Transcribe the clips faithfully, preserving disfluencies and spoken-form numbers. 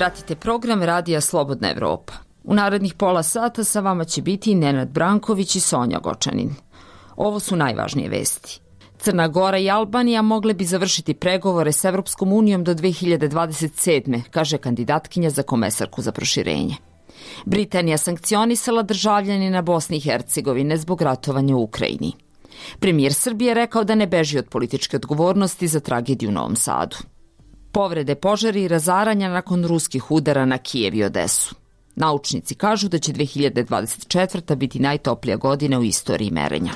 Pratite program Radija Slobodna Evropa. U narednih pola sata sa vama će biti Nenad Branković i Sonja Gočanin. Ovo su najvažnije vesti. Crna Gora i Albanija mogle bi završiti pregovore s Evropskom unijom do dve hiljade dvadeset sedme, kaže kandidatkinja za komesarku za proširenje. Britanija sankcionisala državljanina Bosne i Hercegovine zbog ratovanja u Ukrajini. Premijer Srbije rekao da ne beži od političke odgovornosti za tragediju u Novom Sadu. Povrede, požari i razaranja nakon ruskih udara na Kijev i Odesu. Naučnici kažu da će dve hiljade dvadeset četvrta biti najtoplija godina u istoriji merenja.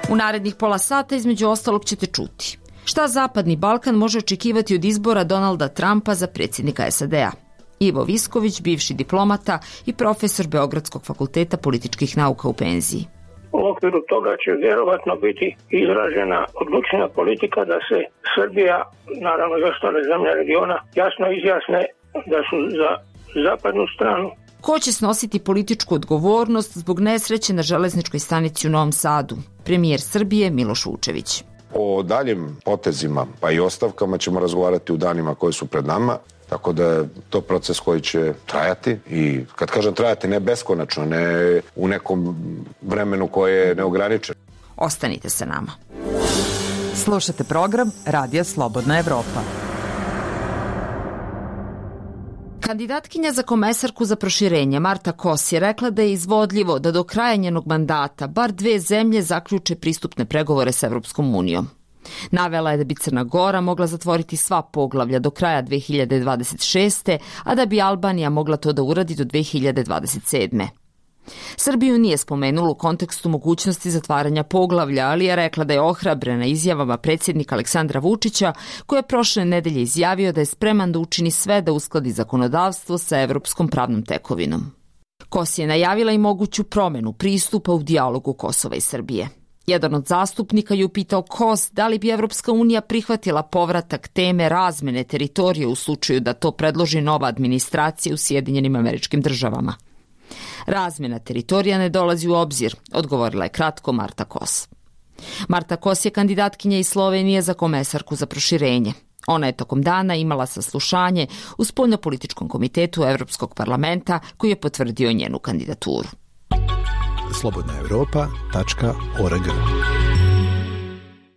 U narednih pola sata između ostalog ćete čuti šta Zapadni Balkan može očekivati od izbora Donalda Trumpa za predsjednika es a de a. Ivo Visković, bivši diplomata i profesor Beogradskog fakulteta političkih nauka u penziji. U okviru toga će vjerovatno biti izražena odlučna politika da se Srbija, naravno i ostale zemlje regiona, jasno izjasne da su za zapadnu stranu. Ko će snositi političku odgovornost zbog nesreće na železničkoj stanici u Novom Sadu? Premijer Srbije Miloš Vučević. O daljim potezima pa i ostavkama ćemo razgovarati u danima koji su pred nama, tako da je to proces koji će trajati i kad kažem trajati ne beskonačno, ne u nekom vremenu koje je neograničeno. Ostanite sa nama. Slušate program Radija Slobodna Evropa. Kandidatkinja za komesarku za proširenje Marta Kos je rekla da je izvodljivo da do kraja njenog mandata bar dve zemlje zaključe pristupne pregovore s Evropskom unijom. Navela je da bi Crna Gora mogla zatvoriti sva poglavlja do kraja dve hiljade dvadeset šeste, a da bi Albanija mogla to da uradi do dve hiljade dvadeset sedme. Srbiju nije spomenula u kontekstu mogućnosti zatvaranja poglavlja, ali je rekla da je ohrabrena izjavama predsjednika Aleksandra Vučića, koji je prošle nedelje izjavio da je spreman da učini sve da uskladi zakonodavstvo sa evropskom pravnom tekovinom. Kos je najavila i moguću promenu pristupa u dijalogu Kosova i Srbije. Jedan od zastupnika je upitao Kos da li bi Evropska unija prihvatila povratak teme razmene teritorije u slučaju da to predloži nova administracija u Sjedinjenim Američkim Državama. Razmjena teritorija ne dolazi u obzir, odgovorila je kratko Marta Kos. Marta Kos je kandidatkinja iz Slovenije za komesarku za proširenje. Ona je tokom dana imala saslušanje u spoljnopolitičkom komitetu Evropskog parlamenta koji je potvrdio njenu kandidaturu. slobodna evropa tačka org.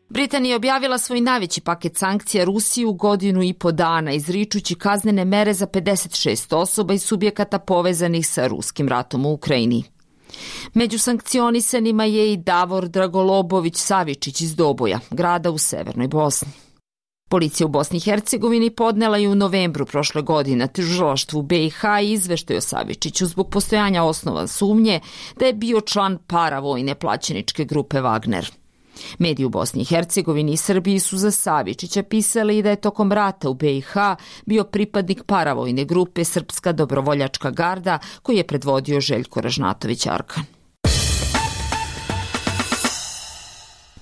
Britanija je objavila svoj najveći paket sankcija Rusiji u godinu i po dana, izričući kaznene mere za pedeset šest osoba i subjekata povezanih sa ruskim ratom u Ukrajini. Među sankcionisanima je i Davor Dragolobović Savičić iz Doboja, grada u severnoj Bosni. Policija u Bosni i Hercegovini podnela je u novembru prošle godine tužilaštvu be i ha izveštaj o Savičiću zbog postojanja osnova sumnje da je bio član paravojne plaćeničke grupe Wagner. Mediji u Bosni i Hercegovini i Srbiji su za Savičića pisali da je tokom rata u be i ha bio pripadnik paravojne grupe Srpska dobrovoljačka garda koji je predvodio Željko Ražnatović Arkan.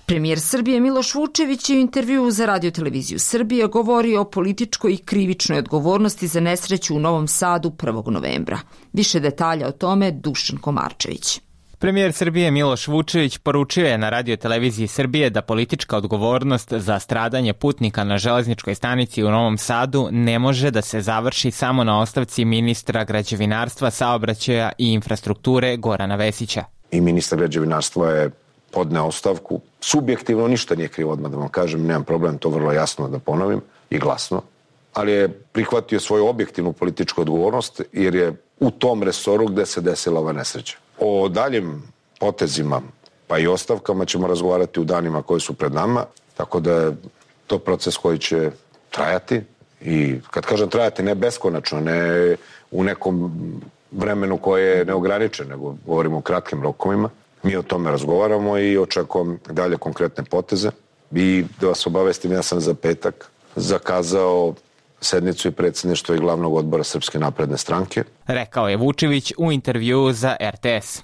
Premijer Srbije Miloš Vučević je u intervjuu za Radio-televiziju Srbije govorio o političkoj i krivičnoj odgovornosti za nesreću u Novom Sadu prvog novembra. Više detalja o tome Dušan Komarčević. Premijer Srbije Miloš Vučević poručio je na Radio-televiziji Srbije da politička odgovornost za stradanje putnika na železničkoj stanici u Novom Sadu ne može da se završi samo na ostavci ministra građevinarstva, saobraćaja i infrastrukture Gorana Vesića. I ministar građevinarstva je podneo ostavku. Subjektivno ništa nije krivo, odmah da vam kažem, nemam problem to vrlo jasno da ponovim i glasno, ali je prihvatio svoju objektivnu političku odgovornost jer je u tom resoru gde se desila ova nesreća. O daljim potezima pa i ostavkama ćemo razgovarati u danima koji su pred nama, tako da je to proces koji će trajati i kad kažem trajati ne beskonačno, ne u nekom vremenu koje je neograničeno, nego govorimo o kratkim rokovima. Mi o tome razgovaramo i očekujem dalje konkretne poteze. I da vas obavestim, ja sam za petak zakazao sednicu i predsjedništvo i glavnog odbora Srpske napredne stranke. Rekao je Vučević u intervjuu za er te es.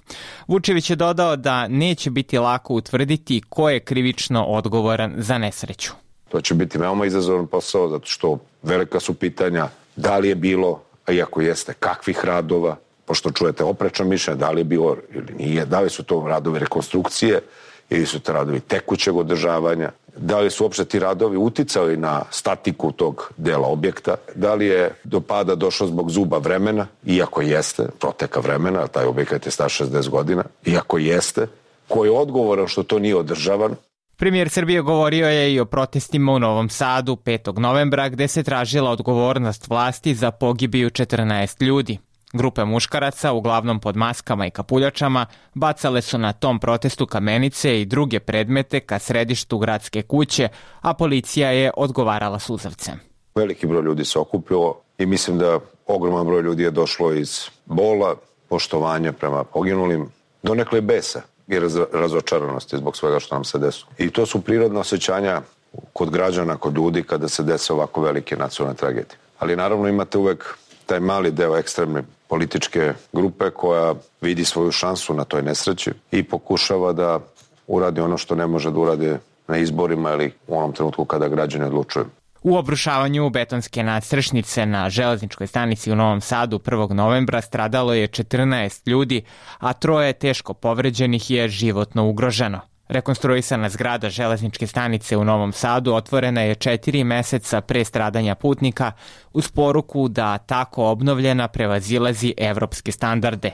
Vučević je dodao da neće biti lako utvrditi ko je krivično odgovoran za nesreću. To će biti veoma izazovan posao, zato što velika su pitanja da li je bilo, a iako jeste, kakvih radova, pošto čujete oprečna mišljenja, da li je bilo ili nije, da li su to radovi rekonstrukcije ili su to radovi tekućeg održavanja, da li su uopšte ti radovi uticali na statiku tog dela objekta, da li je do pada došlo zbog zuba vremena, iako jeste, proteka vremena, taj objekat je star šezdeset godina, iako jeste, ko je odgovoran što to nije održavan. Premijer Srbije govorio je i o protestima u Novom Sadu petog novembra gde se tražila odgovornost vlasti za pogibiju četrnaest ljudi. Grupe muškaraca, uglavnom pod maskama i kapuljačama, bacale su na tom protestu kamenice i druge predmete ka središtu gradske kuće, a policija je odgovarala suzavcem. Veliki broj ljudi se okupilo i mislim da ogroman broj ljudi je došlo iz bola, poštovanja prema poginulim, donekle besa i razočaranosti zbog svega što nam se desilo. I to su prirodna osjećanja kod građana, kod ljudi kada se dese ovako velike nacionalne tragedije. Ali naravno imate uvek taj mali deo ekstremne političke grupe koja vidi svoju šansu na toj nesreći i pokušava da uradi ono što ne može da uradi na izborima ili u onom trenutku kada građani odlučuju. U obrušavanju betonske nadstrešnice na železničkoj stanici u Novom Sadu prvog novembra stradalo je četrnaest ljudi, a troje teško povređenih je životno ugroženo. Rekonstruisana zgrada železničke stanice u Novom Sadu otvorena je četiri meseca pre stradanja putnika uz poruku da tako obnovljena prevazilazi evropske standarde.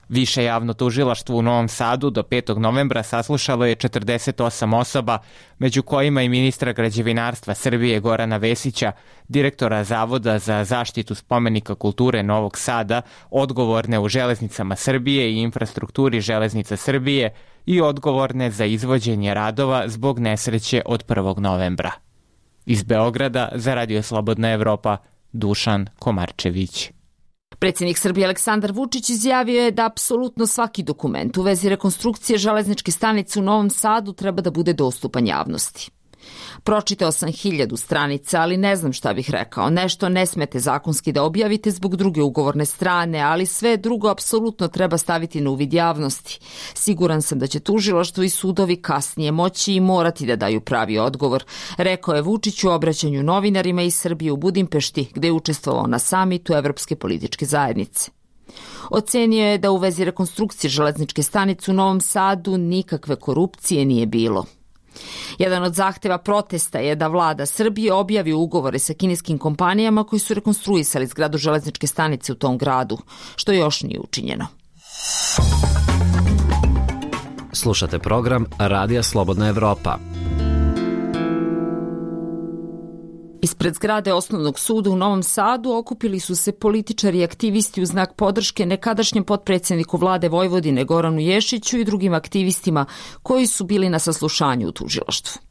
Više javno tužilaštvo u Novom Sadu do petog novembra saslušalo je četrdeset osam osoba, među kojima i ministra građevinarstva Srbije Gorana Vesića, direktora Zavoda za zaštitu spomenika kulture Novog Sada, odgovorne u železnicama Srbije i infrastrukturi železnica Srbije i odgovorne za izvođenje radova zbog nesreće od prvog novembra. Iz Beograda za Radio Slobodna Evropa, Dušan Komarčević. Predsjednik Srbije Aleksandar Vučić izjavio je da apsolutno svaki dokument u vezi rekonstrukcije železničke stanice u Novom Sadu treba da bude dostupan javnosti. Pročitao sam hiljadu stranica, ali ne znam šta bih rekao. Nešto ne smete zakonski da objavite zbog druge ugovorne strane, ali sve drugo apsolutno treba staviti na uvid javnosti. Siguran sam da će tužilaštvo i sudovi kasnije moći i morati da daju pravi odgovor, rekao je Vučić u obraćanju novinarima iz Srbije u Budimpešti, gde je učestvovao na samitu Evropske političke zajednice. Ocenio je da u vezi rekonstrukcije železničke stanice u Novom Sadu nikakve korupcije nije bilo. Jedan od zahteva protesta je da vlada Srbije objavi ugovore sa kineskim kompanijama koji su rekonstruisali zgradu železničke stanice u tom gradu, što još nije učinjeno. Slušate program Radija Slobodna Evropa. Ispred zgrade Osnovnog suda u Novom Sadu okupili su se političari i aktivisti u znak podrške nekadašnjem potpredsjedniku vlade Vojvodine Goranu Ješiću i drugim aktivistima koji su bili na saslušanju u tužilaštvu.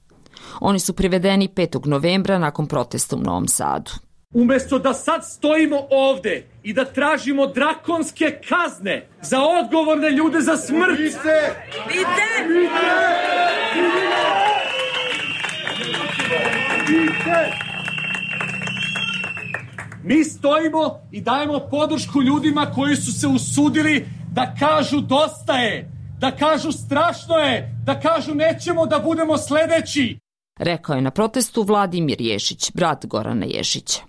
Oni su privedeni petog novembra nakon protesta u Novom Sadu. Umesto da sad stojimo ovde i da tražimo drakonske kazne za odgovorne ljude za smrt. Vidite! Vidite! Vidite! Mi stojimo i dajemo podršku ljudima koji su se usudili da kažu dosta je, da kažu strašno je, da kažu nećemo da budemo sledeći. Rekao je na protestu Vladimir Ješić, brat Gorana Ješića.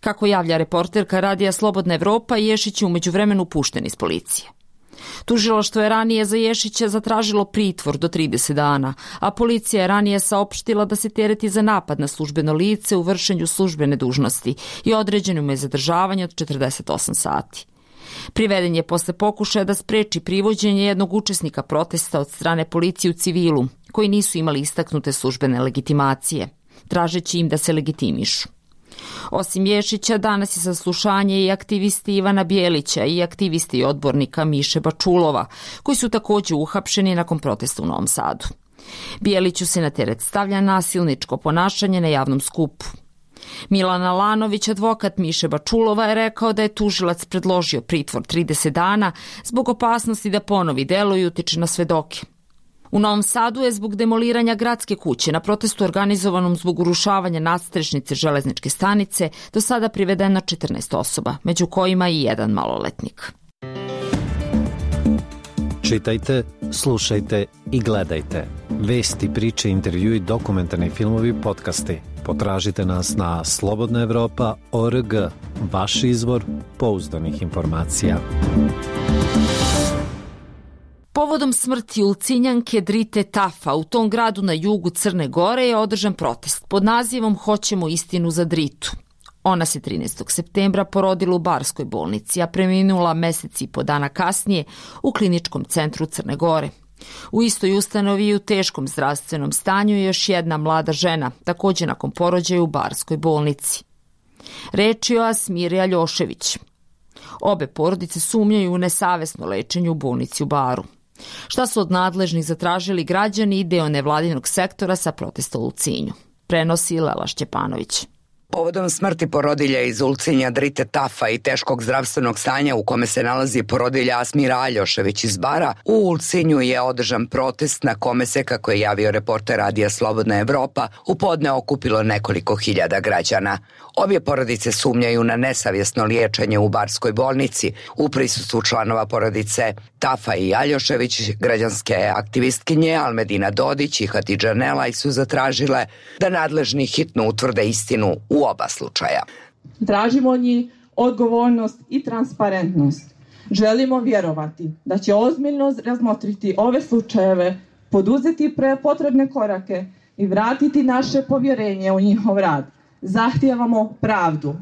Kako javlja reporterka Radija Slobodna Evropa, Ješić je umeđu vremenu pušten iz policije. Tužilaštvo je ranije za Ješića zatražilo pritvor do trideset dana, a policija je ranije saopštila da se tereti za napad na službeno lice u vršenju službene dužnosti i određeno mu je zadržavanje od četrdeset osam sati. Priveden je posle pokušaja da spreči privođenje jednog učesnika protesta od strane policije u civilu, koji nisu imali istaknute službene legitimacije, tražeći im da se legitimišu. Osim Ješića, danas je saslušanje i aktivisti Ivana Bjelića i aktivisti i odbornika Miše Bačulova, koji su također uhapšeni nakon protesta u Novom Sadu. Bjeliću se na teret stavlja nasilničko ponašanje na javnom skupu. Milan Alanović, advokat Miše Bačulova, je rekao da je tužilac predložio pritvor trideset dana zbog opasnosti da ponovi delo i utiče na svedoke. U Novom Sadu je zbog demoliranja gradske kuće na protestu organizovanom zbog urušavanja nadstrešnice železničke stanice do sada privedeno četrnaest osoba, među kojima i jedan maloletnik. Čitajte, slušajte i gledajte. Vesti, priče, intervjui, dokumentarni filmovi, podcasti. Potražite nas na slobodna evropa tačka org, vaš izvor pouzdanih informacija. Povodom smrti Ulcinjanke Drite Tafa u tom gradu na jugu Crne Gore je održan protest pod nazivom Hoćemo istinu za Dritu. Ona se trinaestog septembra porodila u Barskoj bolnici, a preminula mesec i po dana kasnije u kliničkom centru Crne Gore. U istoj ustanovi i u teškom zdravstvenom stanju je još jedna mlada žena, također nakon porođaja u Barskoj bolnici. Reč je o Asmiri Aljošević. Obe porodice sumnjaju u nesavesno lečenje u bolnici u Baru. Šta su od nadležnih zatražili građani i deo nevladinog sektora sa protesta u Ulcinju? Prenosi Lela Šćepanović. Povodom smrti porodilja iz Ulcinja Drite Tafa i teškog zdravstvenog stanja u kome se nalazi porodilja Asmira Aljošević iz Bara, u Ulcinju je održan protest na kome se, kako je javio reporter Radija Slobodna Evropa, u podne okupilo nekoliko hiljada građana. Obje porodice sumnjaju na nesavjesno liječenje u Barskoj bolnici. U prisustvu članova porodice Tafa i Aljošević, građanske aktivistkinje Almedina Dodić i Hatidža Nelaj su zatražile da nadležni hitno utvrde istinu u oba slučaja. Tražimo od njih odgovornost i transparentnost. Želimo vjerovati da će ozbiljno razmotriti ove slučajeve, poduzeti potrebne korake i vratiti naše povjerenje u njihov rad. Zahtijevamo pravdu.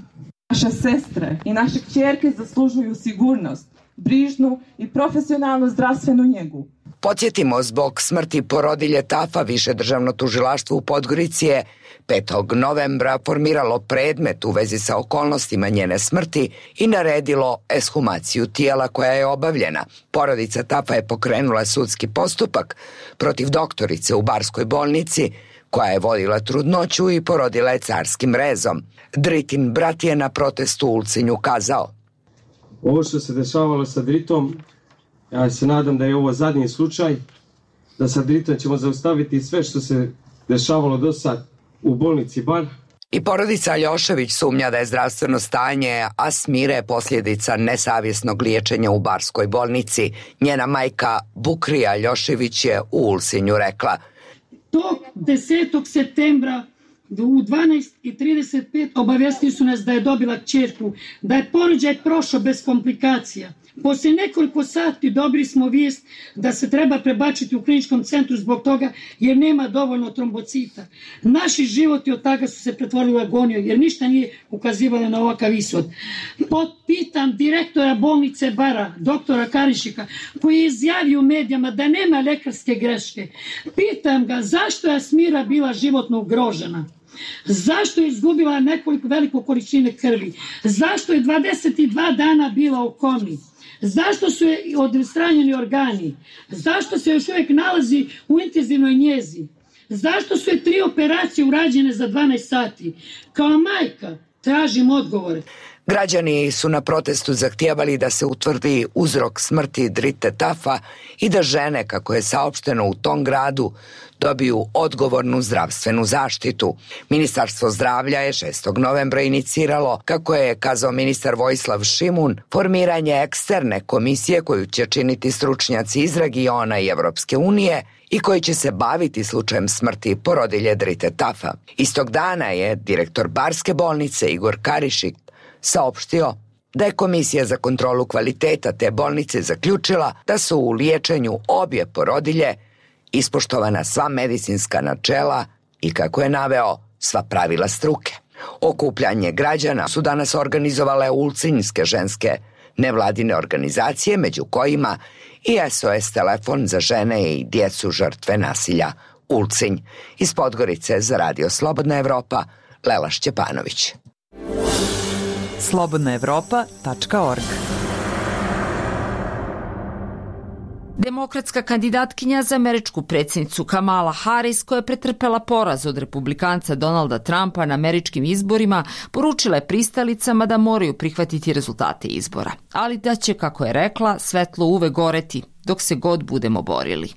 Naše sestre i naše kćerke zaslužuju sigurnost, brižnu i profesionalnu zdravstvenu njegu. Podsjetimo, zbog smrti porodilje Tafa više državno tužilaštvo u Podgorici je petog novembra formiralo predmet u vezi sa okolnostima njene smrti i naredilo ekshumaciju tijela koja je obavljena. Porodica Tafa je pokrenula sudski postupak protiv doktorice u Barskoj bolnici koja je vodila trudnoću i porodila je carskim rezom. Dritin brat je na protestu u Ulcinju kazao: Ovo što se dešavalo sa Dritom, ja se nadam da je ovo zadnji slučaj, da sa Dritom ćemo zaustaviti sve što se dešavalo do sad u bolnici Bar. I porodica Aljošević sumnja da je zdravstveno stanje Asmire posljedica nesavjesnog liječenja u Barskoj bolnici. Njena majka Bukrija Aljošević je u Ulcinju rekla: Tog desetog septembra u dvanaest i trideset pet obavijestili su nas da je dobila kćerku, da je porođaj prošao bez komplikacija. Poslije nekoliko sati dobili smo vijest da se treba prebačiti u kliničkom centru zbog toga jer nema dovoljno trombocita. Naši životi od toga su se pretvorili u agoniju jer ništa nije ukazivalo na ovakav ishod. Pitam direktora bolnice Bara, doktora Karišika, koji je izjavio u medijama da nema lekarske greške. Pitam ga zašto je Asmira bila životno ugrožena. Zašto je izgubila nekoliko veliku količine krvi? Zašto je dvadeset dva dana bila u komi? Zašto su je odstranjeni organi? Zašto se još uvijek nalazi u intenzivnoj njezi? Zašto su je tri operacije urađene za dvanaest sati? Kao majka tražim odgovore. Građani su na protestu zahtijevali da se utvrdi uzrok smrti Drite Tafa i da žene, kako je saopšteno u tom gradu, dobiju odgovornu zdravstvenu zaštitu. Ministarstvo zdravlja je šestog novembra iniciralo, kako je kazao ministar Vojislav Šimun, formiranje eksterne komisije koju će činiti stručnjaci iz regiona i Evropske unije i koji će se baviti slučajem smrti porodilje Drite Tafa. Istog dana je direktor Barske bolnice Igor Karišik saopštio da je Komisija za kontrolu kvaliteta te bolnice zaključila da su u liječenju obje porodilje ispoštovana sva medicinska načela i, kako je naveo, sva pravila struke. Okupljanje građana su danas organizovale ulcinjske ženske nevladine organizacije, među kojima i S O S telefon za žene i djecu žrtve nasilja Ulcinj. Iz Podgorice za Radio Slobodna Evropa, Lela Šćepanović. slobodna evropa tačka org. Demokratska kandidatkinja za američku predsjednicu Kamala Harris, koja je pretrpela poraz od republikanca Donalda Trumpa na američkim izborima, poručila je pristalicama da moraju prihvatiti rezultate izbora, ali da će, kako je rekla, svetlo uvek goreti dok se god budemo borili.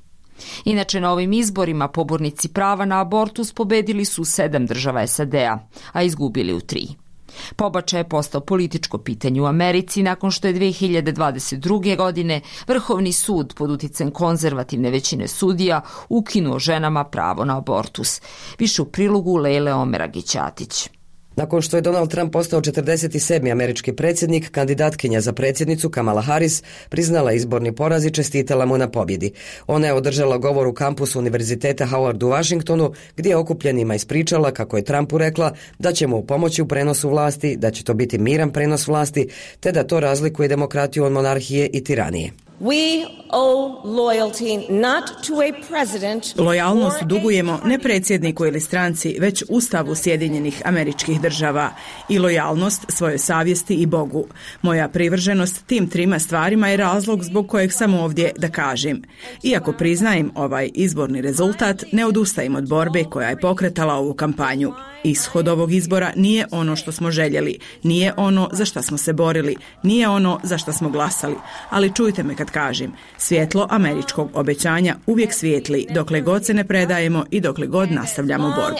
Inače, na ovim izborima pobornici prava na abortus pobedili su sedam država S A D-a, a izgubili u tri. Pobačaj je postao političko pitanje u Americi nakon što je dve hiljade dvadeset druge. godine Vrhovni sud pod uticajem konzervativne većine sudija ukinuo ženama pravo na abortus. Više u prilogu Lejle Omeragić-Atić. Nakon što je Donald Trump postao četrdeset sedmi američki predsjednik, kandidatkinja za predsjednicu Kamala Harris priznala izborni poraz i čestitala mu na pobjedi. Ona je održala govor u kampusu Univerziteta Howard u Washingtonu, gdje je okupljenima ispričala kako je Trumpu rekla da će mu pomoći u prenosu vlasti, da će to biti miran prenos vlasti, te da to razlikuje demokratiju od monarhije i tiranije. We owe loyalty not to a president. Lojalnost dugujemo ne predsjedniku ili stranci, već Ustavu Sjedinjenih Američkih Država i lojalnost svojoj savjesti i Bogu. Moja privrženost tim trima stvarima je razlog zbog kojeg sam ovdje da kažem. Iako priznajem ovaj izborni rezultat, ne odustajem od borbe koja je pokretala ovu kampanju. Ishod ovog izbora nije ono što smo željeli, nije ono za što smo se borili, nije ono za što smo glasali, ali čujte me kad kažem, svjetlo američkog obećanja uvijek svijetli dokle god se ne predajemo i dokle god nastavljamo borbu.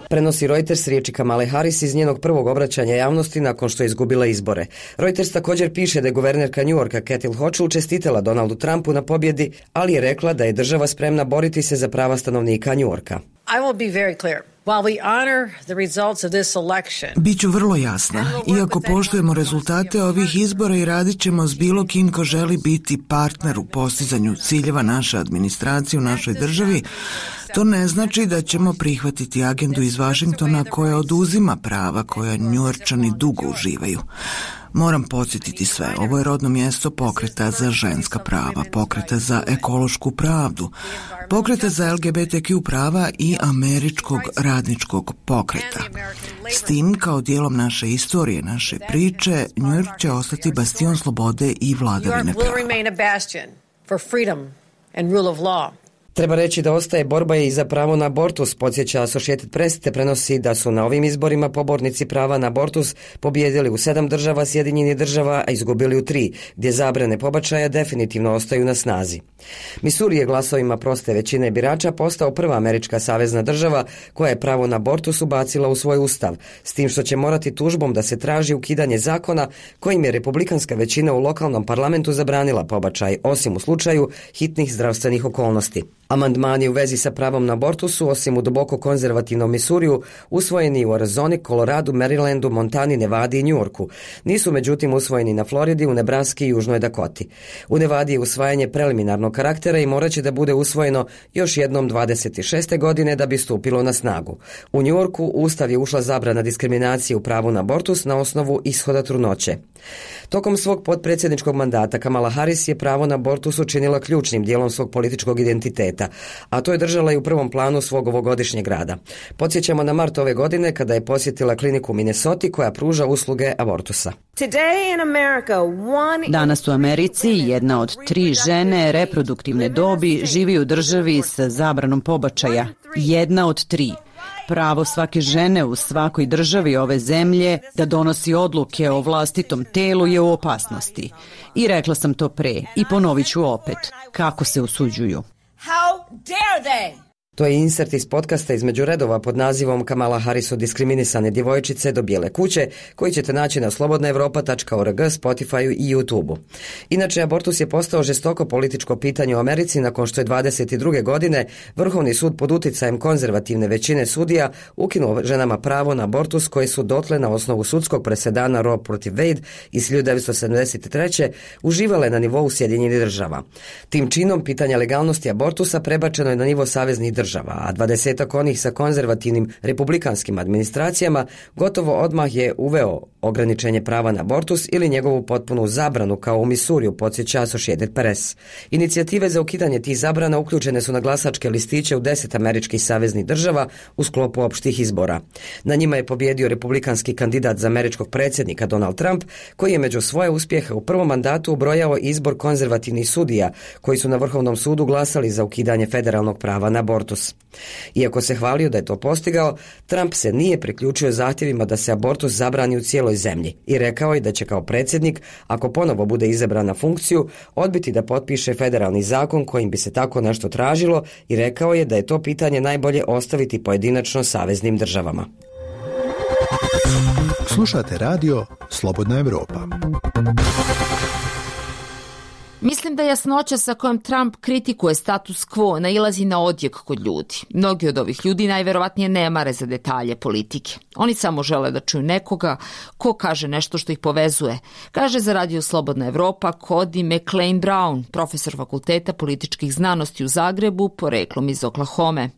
Prenosi Reuters riječi Kamale Harris iz njenog prvog obraćanja javnosti nakon što je izgubila izbore. Reuters također piše da je guvernerka New Yorka Kathleen Hochul čestitala Donaldu Trumpu na pobjedi, ali je rekla da je država spremna boriti se za prava stanovnika New Yorka. I will be very clear. While we honor the results of this election, Biću vrlo jasna. Iako poštujemo rezultate ovih izbora i radit ćemo s bilo kim ko želi biti partner u postizanju ciljeva naše administracije u našoj državi, to ne znači da ćemo prihvatiti agendu iz Washingtona koja oduzima prava koja Njujorčani dugo uživaju. Moram podsjetiti sve, ovo je rodno mjesto pokreta za ženska prava, pokreta za ekološku pravdu, pokreta za L G B T Q prava i američkog radničkog pokreta. S tim, kao dijelom naše istorije, naše priče, New York će ostati bastion slobode i vladavine prava. Treba reći da ostaje borba i za pravo na abortus, podsjeća Associated Press, te prenosi da su na ovim izborima pobornici prava na abortus pobijedili u sedam država Sjedinjenih država, a izgubili u tri, gdje zabrane pobačaja definitivno ostaju na snazi. Missouri je glasovima proste većine birača postao prva američka savezna država koja je pravo na abortus ubacila u svoj ustav, s tim što će morati tužbom da se traži ukidanje zakona kojim je republikanska većina u lokalnom parlamentu zabranila pobačaj, osim u slučaju hitnih zdravstvenih okolnosti. Amandmani u vezi sa pravom na abortus su, osim u duboko konzervativnom Missouriju, usvojeni u Arizoni, Koloradu, Marylandu, Montani, Nevadi i New Yorku. Nisu međutim usvojeni na Floridi, u Nebraski i Južnoj Dakoti. U Nevadi je usvajanje preliminarnog karaktera i morat će da bude usvojeno još jednom dvadeset šeste godine da bi stupilo na snagu. U New Yorku u Ustav je ušla zabrana diskriminacije u pravu na abortus na osnovu ishoda trudnoće. Tokom svog potpredsjedničkog mandata Kamala Harris je pravo na abortus učinila ključnim dijelom svog političkog identiteta, a to je držala i u prvom planu svog ovogodišnjeg rada. Podsjećamo na mart ove godine kada je posjetila kliniku u Minnesoti koja pruža usluge abortusa. Danas u Americi jedna od tri žene reproduktivne dobi živi u državi sa zabranom pobačaja. Jedna od tri. Pravo svake žene u svakoj državi ove zemlje da donosi odluke o vlastitom telu je u opasnosti. I rekla sam to pre i ponovit ću opet. Kako se usuđuju? How dare they? To je insert iz podcasta između redova pod nazivom Kamala Harris od diskriminisane djevojčice do bijele kuće, koji ćete naći na slobodna europa tačka org, Spotifyu i YouTubeu. Inače, abortus je postao žestoko političko pitanje u Americi nakon što je dvadeset druge godine Vrhovni sud pod uticajem konzervativne većine sudija ukinuo ženama pravo na abortus koje su dotle na osnovu sudskog presedana Roe protiv Wade iz hiljadu devetsto sedamdeset treće uživale na nivou Sjedinjenih država. Tim činom pitanja legalnosti abortusa prebačeno je na nivo saveznih država, a dvadesetak onih sa konzervativnim republikanskim administracijama gotovo odmah je uveo ograničenje prava na abortus ili njegovu potpunu zabranu kao u Missouriju, podsjeća Associated Press. Inicijative za ukidanje tih zabrana uključene su na glasačke listiće u deset američkih saveznih država u sklopu opštih izbora. Na njima je pobjedio republikanski kandidat za američkog predsjednika Donald Trump, koji je među svoje uspjehe u prvom mandatu ubrojao izbor konzervativnih sudija koji su na Vrhovnom sudu glasali za ukidanje federalnog prava na abortus. Iako se hvalio da je to postigao, Trump se nije priključio zahtjevima da se abortus zabrani u cijeloj zemlji i rekao je da će kao predsjednik, ako ponovo bude izabran na funkciju, odbiti da potpiše federalni zakon kojim bi se tako nešto tražilo i rekao je da je to pitanje najbolje ostaviti pojedinačno saveznim državama. Slušate radio Slobodna Europa. Mislim da jasnoća sa kojom Trump kritikuje status quo nailazi na odjek kod ljudi. Mnogi od ovih ljudi najverovatnije ne mare za detalje politike. Oni samo žele da čuju nekoga ko kaže nešto što ih povezuje, kaže za Radio Slobodna Evropa Cody McLean Brown, profesor Fakulteta političkih znanosti u Zagrebu, poreklom iz Oklahome.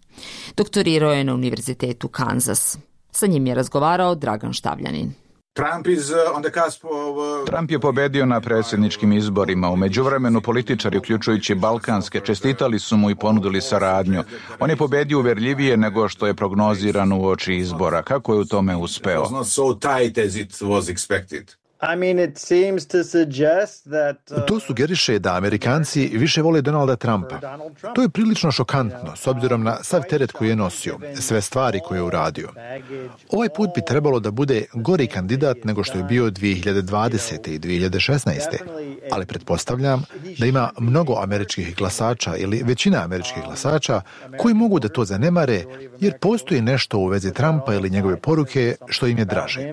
Doktorirao je na Univerzitetu Kansas. Sa njim je razgovarao Dragan Štavljanin. Trump, is on the cusp of... Trump je pobedio na predsjedničkim izborima. U međuvremenu političari, uključujući balkanske, čestitali su mu i ponudili saradnju. On je pobedio uverljivije nego što je prognozirano uoči izbora. Kako je u tome uspeo? I mean, it seems to suggest that, uh, to sugeriše da Amerikanci više vole Donalda Trumpa. To je prilično šokantno, s obzirom na sav teret koji je nosio, sve stvari koje je uradio. Ovaj put bi trebalo da bude gori kandidat nego što je bio dvije hiljade dvadesete i dvije hiljade šesnaeste. Ali pretpostavljam da ima mnogo američkih glasača ili većina američkih glasača koji mogu da to zanemare jer postoji nešto u vezi Trumpa ili njegove poruke što im je draže.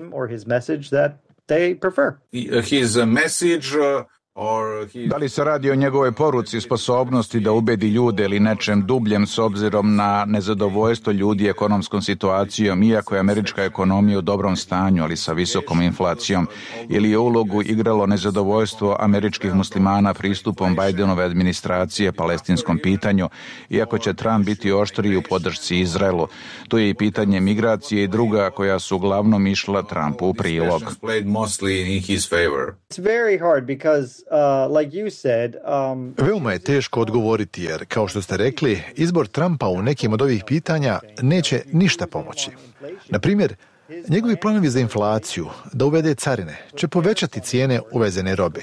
they prefer. His message uh, or his... Da li se radi o njegove poruci, sposobnosti da ubedi ljude ili nečem dubljem s obzirom na nezadovoljstvo ljudi ekonomskom situacijom, iako je američka ekonomija u dobrom stanju, ali sa visokom inflacijom, ili je ulogu igralo nezadovoljstvo američkih muslimana pristupom Bidenove administracije palestinskom pitanju, iako će Trump biti oštriji u podršci Izraelu. Tu je i pitanje migracije i druga koja su uglavnom išla Trumpu u prilog. It's very hard because Uh, like you said, um... Veoma je teško odgovoriti jer, kao što ste rekli, izbor Trumpa u nekim od ovih pitanja neće ništa pomoći. Na primjer, njegovi planovi za inflaciju, da uvede carine, će povećati cijene uvezene robe.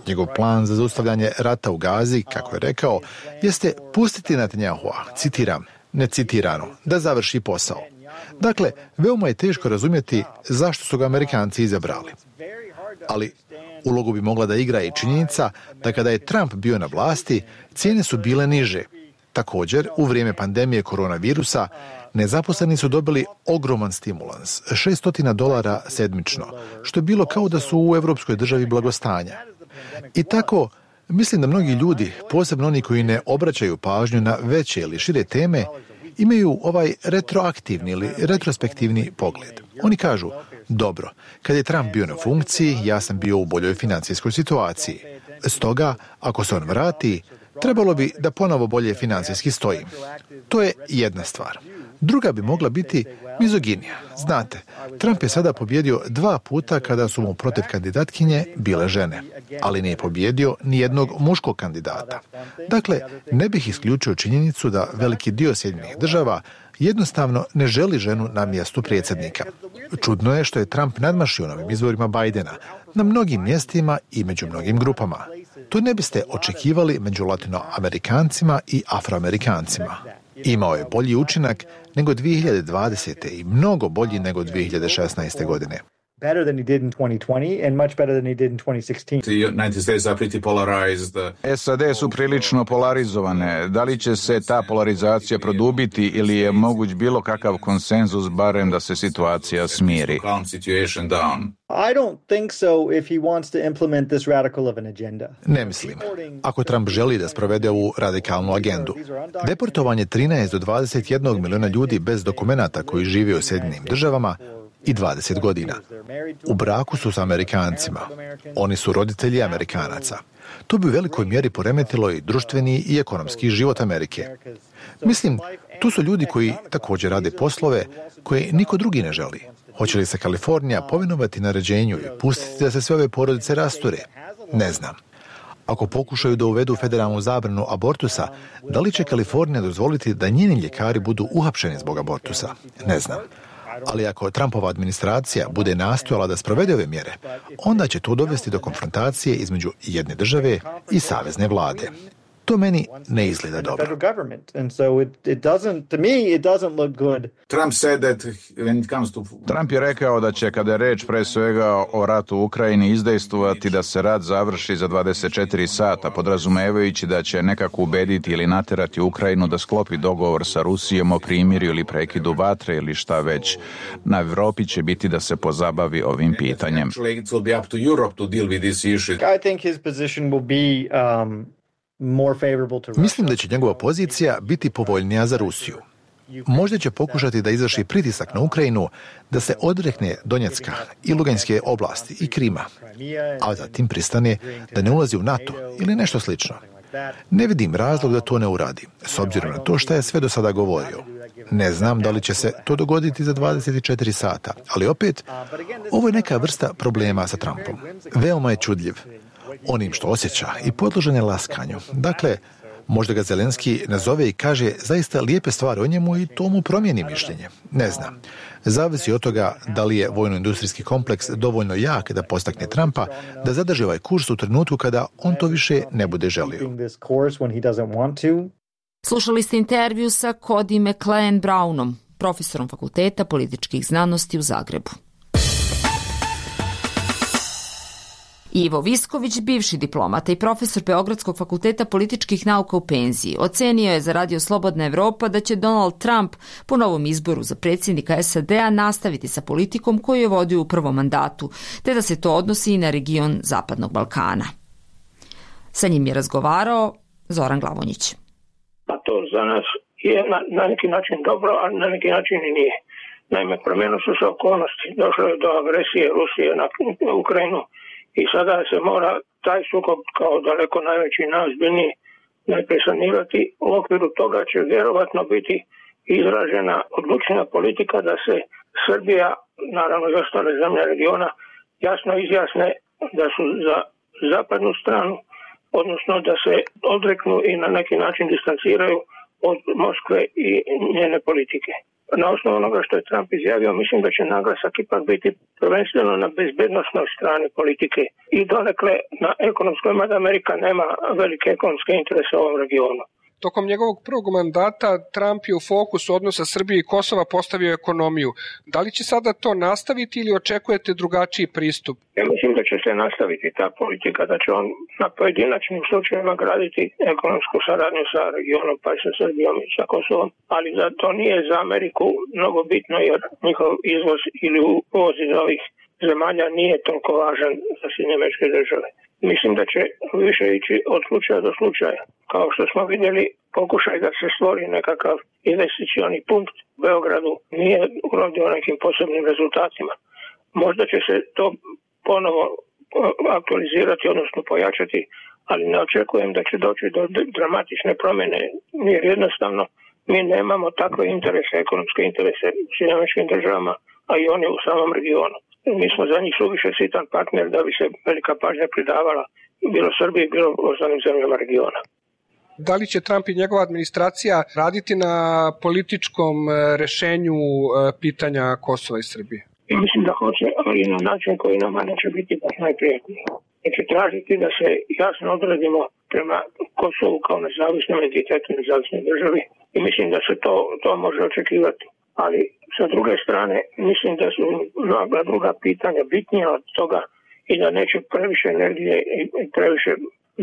Njegov plan za zaustavljanje rata u Gazi, kako je rekao, jeste pustiti Netanjahua, citiram, necitirano, da završi posao. Dakle, veoma je teško razumjeti zašto su ga Amerikanci izabrali. Ali ulogu bi mogla da igra i činjenica da kada je Trump bio na vlasti, cijene su bile niže. Također, u vrijeme pandemije koronavirusa, nezaposleni su dobili ogroman stimulans, šesto dolara sedmično, što je bilo kao da su u evropskoj državi blagostanja. I tako, mislim da mnogi ljudi, posebno oni koji ne obraćaju pažnju na veće ili šire teme, imaju ovaj retroaktivni ili retrospektivni pogled. Oni kažu, dobro, kad je Trump bio na funkciji, ja sam bio u boljoj financijskoj situaciji. Stoga, ako se on vrati, trebalo bi da ponovo bolje financijski stojim. To je jedna stvar. Druga bi mogla biti mizoginija. Znate, Trump je sada pobjedio dva puta kada su mu protiv kandidatkinje bile žene, ali nije pobjedio ni jednog muškog kandidata. Dakle, ne bih isključio činjenicu da veliki dio Sjedinjenih država jednostavno ne želi ženu na mjestu predsjednika. Čudno je što je Trump nadmašio novim izborima Bidena na mnogim mjestima i među mnogim grupama. To ne biste očekivali među latinoamerikancima i afroamerikancima. Imao je bolji učinak nego dvije hiljade dvadesete i mnogo bolji nego dvije hiljade šesnaeste godine. Better than he did in twenty twenty and much better than he did in twenty sixteen. The United States are pretty polarized. S A D su prilično polarizovane. Da li će se ta polarizacija produbiti ili je moguć bilo kakav konsenzus barem da se situacija smiri? I don't think so if he wants to implement this radical of an agenda. Ne mislim. Ako Trump želi da sprovede ovu radikalnu agendu. Deportovanje trinaest do dvadeset jedan miliona ljudi bez dokumenata koji žive u Sjedinjenim državama i dvadeset godina. U braku su s Amerikancima. Oni su roditelji Amerikanaca. To bi u velikoj mjeri poremetilo i društveni i ekonomski život Amerike. Mislim, tu su ljudi koji također rade poslove koje niko drugi ne želi. Hoće li se Kalifornija povinovati naređenju i pustiti da se sve ove porodice rasture? Ne znam. Ako pokušaju da uvedu federalnu zabranu abortusa, da li će Kalifornija dozvoliti da njeni ljekari budu uhapšeni zbog abortusa? Ne znam. Ali ako Trumpova administracija bude nastojala da sprovede ove mjere, onda će to dovesti do konfrontacije između jedne države i savezne vlade. To meni ne izgleda dobro. Trump je rekao da će, kada je reč pre svega o ratu u Ukrajini, izdejstvovati da se rat završi za dvadeset četiri sata, podrazumevajući da će nekako ubediti ili naterati Ukrajinu da sklopi dogovor sa Rusijom o primirju ili prekidu vatre ili šta već. Na Evropi će biti da se pozabavi ovim pitanjem. Mislim da će njegova pozicija biti povoljnija za Rusiju. Možda će pokušati da izvrši pritisak na Ukrajinu da se odrekne Donjecka i Luganske oblasti i Krima, a zatim pristane da ne ulazi u NATO ili nešto slično. Ne vidim razlog da to ne uradi, s obzirom na to što je sve do sada govorio. Ne znam da li će se to dogoditi za dvadeset četiri sata, ali opet, ovo je neka vrsta problema sa Trumpom. Veoma je čudljiv onim što osjeća i podložen je laskanju. Dakle, možda ga Zelenski nazove i kaže zaista lijepe stvari o njemu i to mu promijeni mišljenje. Ne znam. Zavisi od toga da li je vojno-industrijski kompleks dovoljno jak da postakne Trumpa da zadrži ovaj kurs u trenutku kada on to više ne bude želio. Slušali ste intervju sa Cody McLean Brownom, profesorom Fakulteta političkih znanosti u Zagrebu. Ivo Visković, bivši diplomata i profesor Beogradskog fakulteta političkih nauka u penziji, ocenio je za Radio Slobodna Evropa da će Donald Trump po novom izboru za predsjednika S A D-a nastaviti sa politikom koju je vodio u prvom mandatu, te da se to odnosi i na region Zapadnog Balkana. Sa njim je razgovarao Zoran Glavonjić. Pa to za nas je na, na neki način dobro, a na neki način i nije. Naime, promijenile su se okolnosti. Došlo je do agresije Rusije na Ukrajinu i sada se mora taj sukob kao daleko najveći i najozbiljniji najprije sanirati. U okviru toga će vjerovatno biti izražena odlučna politika da se Srbija, naravno i ostale zemlje regiona, jasno izjasne da su za zapadnu stranu, odnosno da se odreknu i na neki način distanciraju od Moskve i njene politike. Na osnovu onoga što je Trump izjavio, mislim da će naglasak ipak biti prvenstveno na bezbednosnoj strani politike i donekle na ekonomskoj, mada Amerika nema velike ekonomske interese u ovom regionu. Tokom njegovog prvog mandata Trump je u fokusu odnosa Srbije i Kosova postavio ekonomiju. Da li će sada to nastaviti ili očekujete drugačiji pristup? Ja mislim da će se nastaviti ta politika, da će on na pojedinačnim slučajevima graditi ekonomsku saradnju sa regionom, pa i sa Srbijom i sa Kosovom, ali da to nije za Ameriku mnogo bitno jer njihov izvoz ili uvoz iz ovih zemalja nije toliko važan za Sjedinjene Američke Države. Mislim da će više ići od slučaja do slučaja. Kao što smo vidjeli, pokušaj da se stvori nekakav investicioni punkt u Beogradu nije urodio nekim posebnim rezultatima. Možda će se to ponovo aktualizirati, odnosno pojačati, ali ne očekujem da će doći do dramatične promjene, jer jednostavno mi nemamo takve interese, ekonomske interese u Sjedinjenim Američkim Državama, a i oni u samom regionu. Mi smo za njih suviše sitan partner da bi se velika pažnja pridavala bilo Srbiji, bilo ostalim zemljama regiona. Da li će Trump i njegova administracija raditi na političkom rešenju pitanja Kosova i Srbije? I mislim da hoće, ali na način koji nama neće biti baš najprijatniji. Neće tražiti da se jasno odredimo prema Kosovu kao nezavisnom entitetu, nezavisnoj državi i mislim da se to, to može očekivati. Ali sa druge strane mislim da su mnoga druga pitanja bitnija od toga i da neće previše energije i previše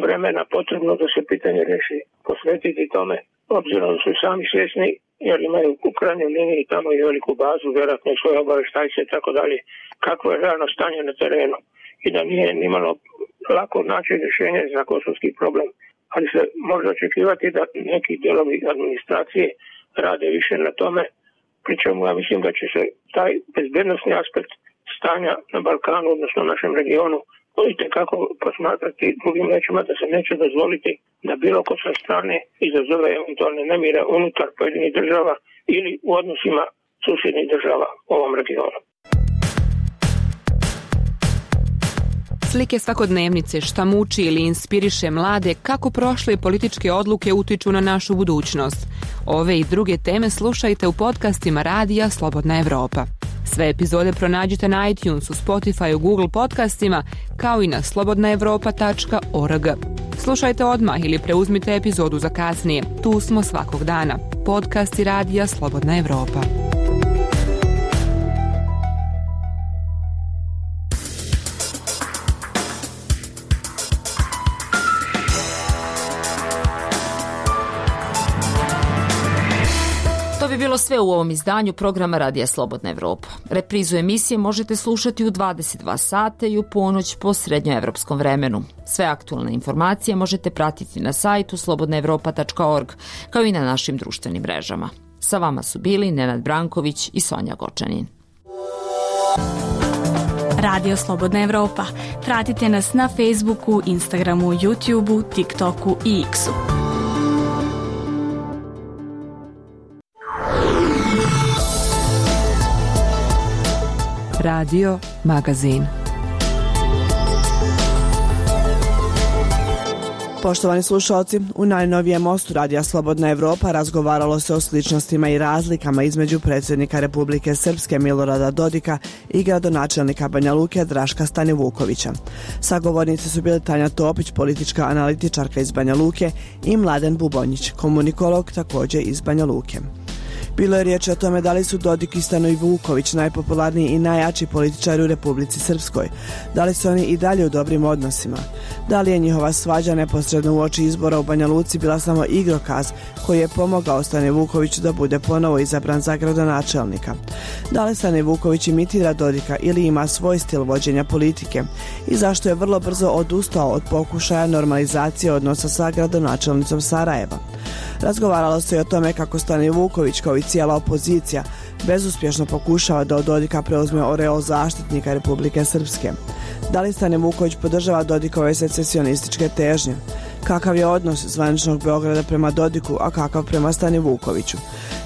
vremena potrebno da se pitanje reši posvetiti tome, obzirom da su sami svjesni jer imaju u krajnjoj liniji tamo i veliku bazu, vjerojatno i svoje obavještajce i tako dalje, kakvo je realno stanje na terenu i da nije nimalo lako naći rješenje za kosovski problem, ali se može očekivati da neki dijelovi administracije rade više na tome, pri čemu ja mislim da će se taj bezbednosni aspekt stanja na Balkanu, odnosno našem regionu, itekako posmatrati drugim rečima da se neće dozvoliti da bilo ko sa strane izazove eventualne nemire unutar pojedinih država ili u odnosima susjednih država u ovom regionu. Slike svakodnevnice, šta muči ili inspiriše mlade, kako prošle političke odluke utiču na našu budućnost. Ove i druge teme slušajte u podcastima Radija Slobodna Evropa. Sve epizode pronađite na iTunesu, Spotifyu, Google podcastima, kao i na slobodna evropa tačka org. Slušajte odmah ili preuzmite epizodu za kasnije. Tu smo svakog dana. Podcast i radija Slobodna Evropa. To bi bilo sve u ovom izdanju programa Radija Slobodna Evropa. Reprizu emisije možete slušati u dvadeset dva sata i u ponoć po srednjoevropskom vremenu. Sve aktualne informacije možete pratiti na sajtu slobodna evropa tačka org, kao i na našim društvenim mrežama. Sa vama su bili Nenad Branković i Sonja Gočanin. Radio Slobodna Evropa. Pratite nas na Facebooku, Instagramu, YouTubeu, TikToku i X-u. Radio Magazin. Poštovani slušalci, u najnovijem mostu Radija Slobodna Evropa razgovaralo se o sličnostima i razlikama između predsjednika Republike Srpske Milorada Dodika i gradonačelnika Banja Luke Draška Stanivukovića. Sagovornici su bili Tanja Topić, politička analitičarka iz Banja Luke, i Mladen Bubonjić, komunikolog također iz Banja Luke. Bilo je riječ o tome da li su Dodik i Stanivuković najpopularniji i najjači političari u Republici Srpskoj, da li su oni i dalje u dobrim odnosima, da li je njihova svađa neposredno uoči izbora u Banja Luci bila samo igrokaz koji je pomogao Stanivukoviću da bude ponovo izabran za gradonačelnika, da li Stanivuković imitira Dodika ili ima svoj stil vođenja politike i zašto je vrlo brzo odustao od pokušaja normalizacije odnosa sa gradonačelnicom Sarajeva. Razgovaralo se i o tome kako Stanivuković, kao i cijela opozicija, bezuspješno pokušava da od Dodika preuzme oreol zaštitnika Republike Srpske. Da li Stanivuković podržava Dodikove secesionističke težnje? Kakav je odnos zvaničnog Beograda prema Dodiku, a kakav prema Stanivukoviću?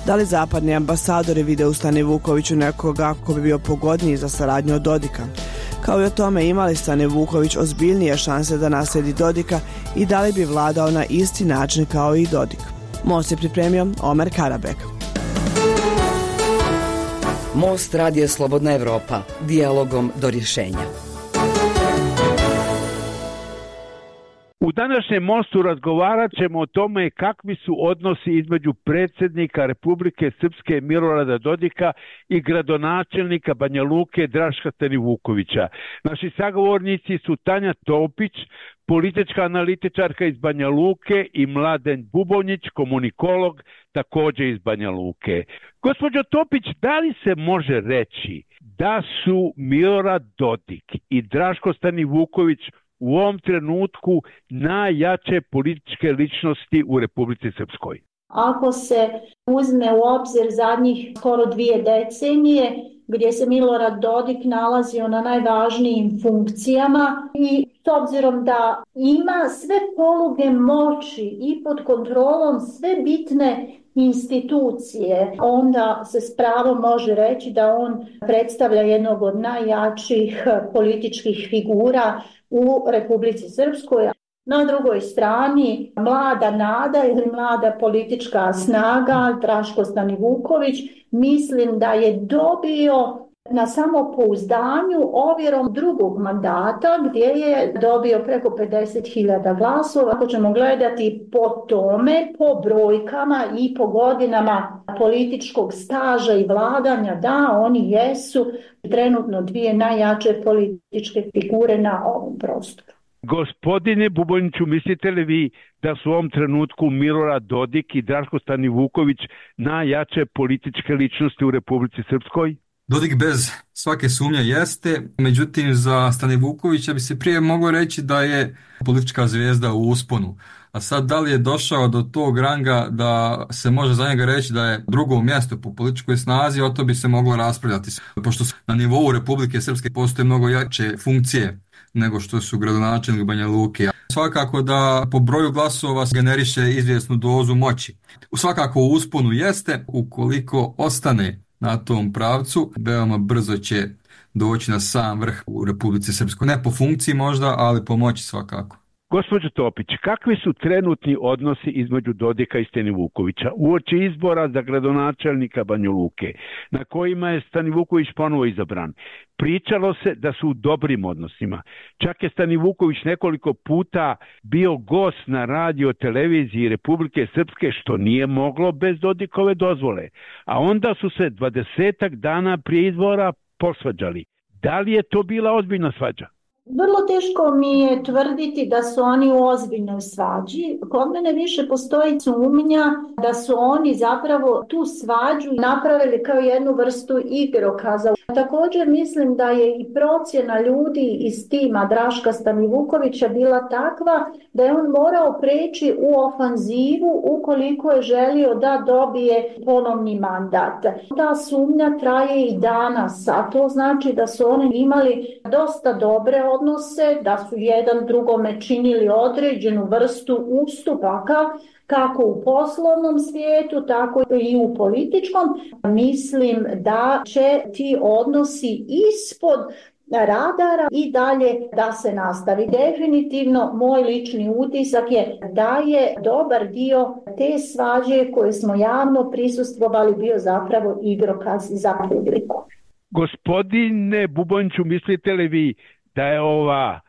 Da li zapadni ambasadori vide u Stanivukoviću nekoga ko bi bio pogodniji za saradnju od Dodika? Kao i o tome ima li Stanivuković ozbiljnije šanse da nasledi Dodika i da li bi vladao na isti način kao i Dodik? Most je pripremio Omer Karabek. Most Radio Slobodna Evropa. Dijalogom do rješenja. U današnjem mostu razgovarat ćemo o tome kakvi su odnosi između predsjednika Republike Srpske Milorada Dodika i gradonačelnika Banja Luke Draška Stanivukovića. Naši sagovornici su Tanja Topić, politička analitičarka iz Banja Luke, i Mladen Bubonjić, komunikolog također iz Banja Luke. Gospođo Topić, da li se može reći da su Milorad Dodik i Draško Stanivuković u ovom trenutku najjače političke ličnosti u Republici Srpskoj? Ako se uzme u obzir zadnjih skoro dvije decenije, gdje se Milorad Dodik nalazio na najvažnijim funkcijama i s obzirom da ima sve poluge moći i pod kontrolom sve bitne institucije, onda se s pravom može reći da on predstavlja jednog od najjačih političkih figura u Republici Srpskoj. Na drugoj strani mlada nada ili mlada politička snaga Draško Stanivuković, mislim da je dobio na samopouzdanju ovjerom drugog mandata gdje je dobio preko pedeset hiljada glasova. Ako ćemo gledati po tome, po brojkama i po godinama političkog staža i vladanja, da, oni jesu trenutno dvije najjače političke figure na ovom prostoru. Gospodine Bubonjiću, mislite li vi da su u ovom trenutku Milorad Dodik i Draško Stanivuković najjače političke ličnosti u Republici Srpskoj? Dodik bez svake sumnje jeste, međutim za Stanivukovića bi se prije moglo reći da je politička zvijezda u usponu. A sad da li je došao do tog ranga da se može za njega reći da je drugo mjesto po političkoj snazi, o to bi se moglo raspravljati. Pošto na nivou Republike Srpske postoje mnogo jače funkcije nego što su gradonačelnik Banja Luke. Svakako da po broju glasova generiše izvjesnu dozu moći. Svakako u usponu jeste, ukoliko ostane na tom pravcu, veoma brzo će doći na sam vrh u Republici Srpskoj. Ne po funkciji možda, ali po moći svakako. Gospođo Topić, kakvi su trenutni odnosi između Dodika i Stanivukovića uoči izbora za gradonačelnika Banja Luke, na kojima je Stanivuković ponovo izabran? Pričalo se da su u dobrim odnosima. Čak je Stanivuković nekoliko puta bio gost na radio televiziji Republike Srpske, što nije moglo bez Dodikove dozvole. A onda su se dvadesetak dana prije izbora posvađali. Da li je to bila ozbiljna svađa? Vrlo teško mi je tvrditi da su oni u ozbiljnoj svađi. Kod mene više postoji sumnja da su oni zapravo tu svađu napravili kao jednu vrstu igrokaza. Također mislim da je i procjena ljudi iz tima Draška Stanivukovića bila takva da je on morao preći u ofanzivu ukoliko je želio da dobije ponovni mandat. Ta sumnja traje i danas, a to znači da su oni imali dosta dobre odnose, da su jedan drugome činili određenu vrstu ustupaka, kako u poslovnom svijetu, tako i u političkom. Mislim da će ti odnosi ispod radara i dalje da se nastavi. Definitivno moj lični utisak je da je dobar dio te svađe koje smo javno prisustvovali bio zapravo igrokaz za publiku. Gospodine Bubončiću, mislite li vi da je ova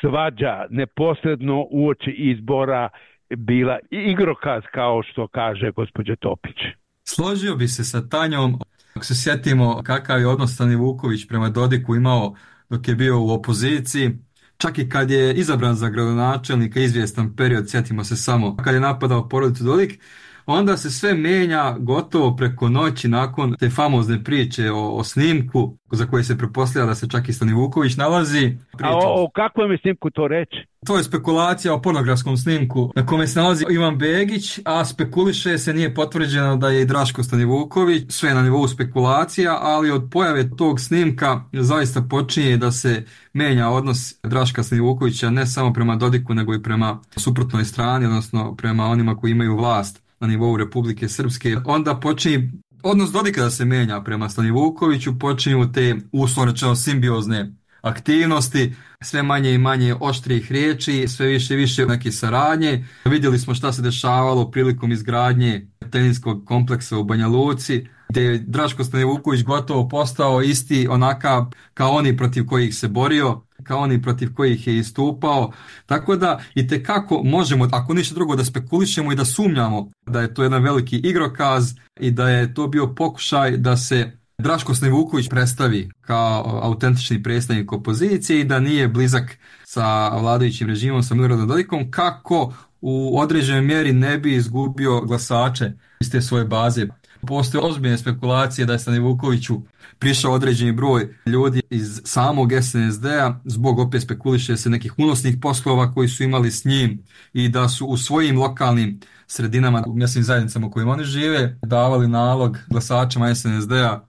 svađa neposredno uoči izbora bila igrokaz, kao što kaže gospođa Topić? Složio bi se sa Tanjom. Ako se sjetimo kakav je odnos Stanivuković prema Dodiku imao dok je bio u opoziciji, čak i kad je izabran za gradonačelnika izvjestan period, sjetimo se samo kad je napadao porodicu Dodik, onda se sve mijenja gotovo preko noći nakon te famozne priče o, o snimku za koje se pretpostavlja da se čak i Stanivuković nalazi. A o, o kakvom je snimku to reći? To je spekulacija o pornografskom snimku na kome se nalazi Ivan Begić, a spekuliše se, nije potvrđeno da je i Draško Stanivuković, sve na nivou spekulacija, ali od pojave tog snimka zaista počinje da se menja odnos Draška Stanivukovića ne samo prema Dodiku nego i prema suprotnoj strani, odnosno prema onima koji imaju vlast na nivou Republike Srpske. Onda počinje odnos Dodika da se menja prema Stanivukoviću, počinju te uslovno rečeno simbiozne aktivnosti, sve manje i manje oštrih riječi, sve više i više neke saradnje. Vidjeli smo šta se dešavalo prilikom izgradnje teniskog kompleksa u Banja Luci, gdje je Draško Stanivuković gotovo postao isti onakav kao oni protiv kojih se borio, kao oni protiv kojih je istupao. Tako da i tekako možemo, ako ništa drugo, da spekulišemo i da sumnjamo da je to jedan veliki igrokaz i da je to bio pokušaj da se Draško Stanivuković predstavi kao autentični predstavnik opozicije i da nije blizak sa vladajućim režimom, sa Miloradom Dodikom, kako u određenoj mjeri ne bi izgubio glasače iz te svoje baze. Postoje ozbiljne spekulacije da je Stanivukoviću prišao određeni broj ljudi iz samog es en es de-a zbog, opet spekuliše se, nekih unosnih poslova koji su imali s njim i da su u svojim lokalnim sredinama, u mjesnim zajednicama u kojima oni žive, davali nalog glasačima es en es de-a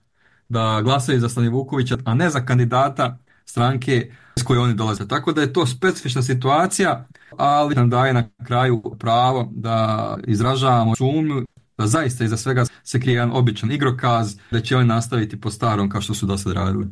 da glasaju za Stanivukovića, a ne za kandidata stranke s koje oni dolaze. Tako da je to specifična situacija, ali nam daje na kraju pravo da izražavamo sumnju da zaista iza svega se krije jedan običan igrokaz, da će oni nastaviti po starom kao što su do sad radili.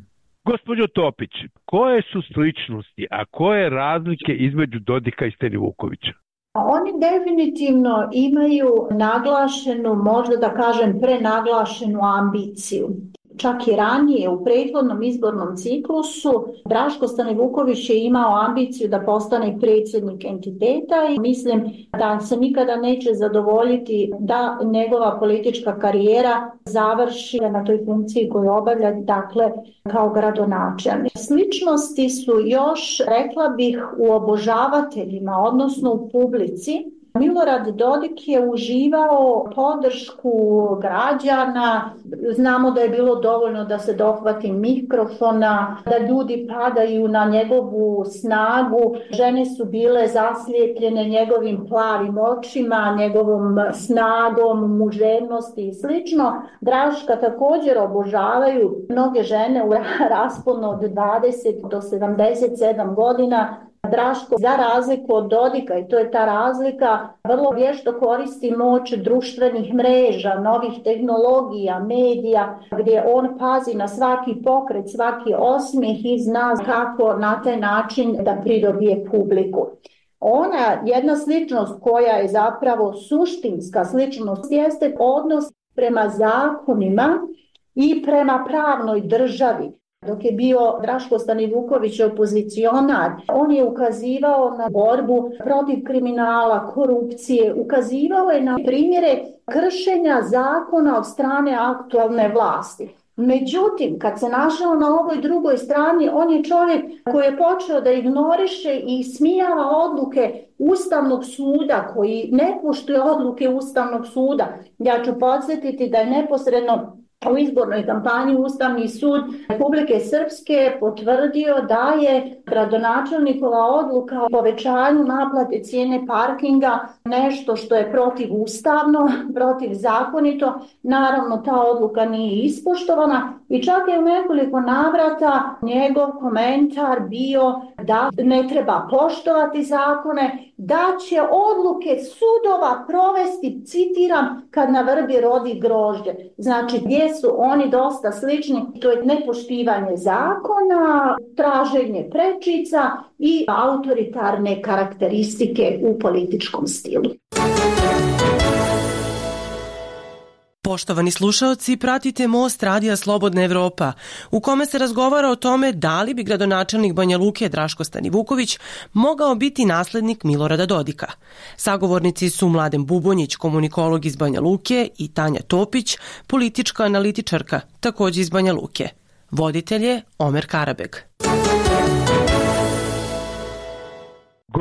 Gospođo Topić, koje su sličnosti, a koje razlike između Dodika i Stanivukovića? Oni definitivno imaju naglašenu, možda da kažem prenaglašenu ambiciju. Čak i ranije u prethodnom izbornom ciklusu Draško Stanivuković je imao ambiciju da postane predsjednik entiteta i mislim da se nikada neće zadovoljiti da njegova politička karijera završi na toj funkciji koju obavlja, dakle kao gradonačelnik. Sličnosti su još, rekla bih, u obožavateljima, odnosno u publici. Milorad Dodik je uživao podršku građana, znamo da je bilo dovoljno da se dohvati mikrofona, da ljudi padaju na njegovu snagu, žene su bile zaslijepljene njegovim plavim očima, njegovom snagom, muževnosti i slično. Draška također obožavaju mnoge žene u rasponu od dvadeset do sedamdeset sedam godina. Draško, za razliku od Dodika, i to je ta razlika, vrlo vješto koristi moć društvenih mreža, novih tehnologija, medija, gdje on pazi na svaki pokret, svaki osmijeh i zna kako na taj način da pridobije publiku. Ona jedna sličnost koja je zapravo suštinska sličnost jeste odnos prema zakonima i prema pravnoj državi. Dok je bio Draško Stanivuković opozicionar, on je ukazivao na borbu protiv kriminala, korupcije, ukazivao je na primjere kršenja zakona od strane aktualne vlasti. Međutim, kad se našao na ovoj drugoj strani, on je čovjek koji je počeo da ignoriše i smijava odluke Ustavnog suda, koji ne poštuje odluke Ustavnog suda. Ja ću podsjetiti da je neposredno u izbornoj kampanji Ustavni sud Republike Srpske potvrdio da je gradonačelnikova odluka o povećanju naplate cijene parkinga nešto što je protivustavno, protivzakonito. Naravno, ta odluka nije ispoštovana i čak je u nekoliko navrata njegov komentar bio da ne treba poštovati zakone, da će odluke sudova provesti, citiram, kad na vrbi rodi grožđe. Znači, gdje su oni dosta slični, to je nepoštivanje zakona, traženje prečica i autoritarne karakteristike u političkom stilu. Poštovani slušaoci, pratite Most radija Slobodna Evropa, u kome se razgovara o tome da li bi gradonačelnik Banja Luke Draško Stanivuković mogao biti naslednik Milorada Dodika. Sagovornici su Mladen Bubonjić, komunikolog iz Banja Luke, i Tanja Topić, politička analitičarka, također iz Banja Luke. Voditelj je Omer Karabeg.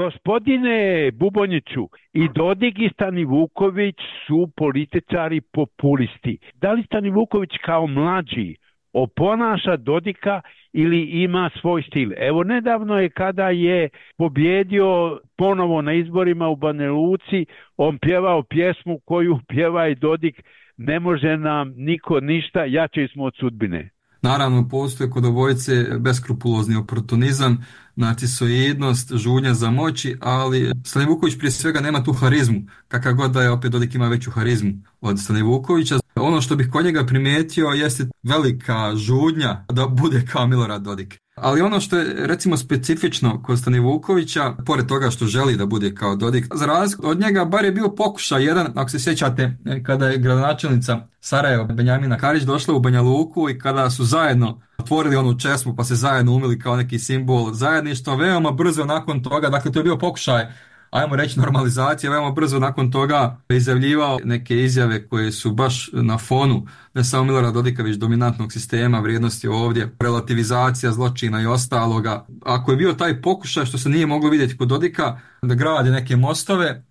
Gospodine Bubonjiću, i Dodik i Stanivuković su političari populisti. Da li Stanivuković kao mlađi oponaša Dodika ili ima svoj stil? Evo, nedavno je kada je pobjedio ponovo na izborima u Banja Luci, on pjevao pjesmu koju pjeva i Dodik: ne može nam niko ništa, jači smo od sudbine. Naravno, postoje kod obojice beskrupulozni oportunizam, narcisoidnost, žudnja za moći, ali Stanivuković prije svega nema tu harizmu, kakav god da je, opet Dodik ima veću harizmu od Stanivukovića. Ono što bih kod njega primijetio jeste velika žudnja da bude kao Milorad Dodik. Ali ono što je recimo specifično kod Stanivukovića, pored toga što želi da bude kao Dodik, za razliku od njega bar je bio pokušaj jedan, ako se sjećate, kada je gradonačelnica Sarajeva Benjamina Karić došla u Banja Luku i kada su zajedno otvorili onu česmu pa se zajedno umili kao neki simbol zajedništva, veoma brzo nakon toga, dakle to je bio pokušaj, ajmo reći, normalizacija, veoma brzo nakon toga izjavljivao neke izjave koje su baš na fonu ne samo Milorada Dodika, već dominantnog sistema, vrijednosti ovdje, relativizacija zločina i ostaloga. Ako je bio taj pokušaj, što se nije moglo vidjeti kod Dodika, da gradi neke mostove,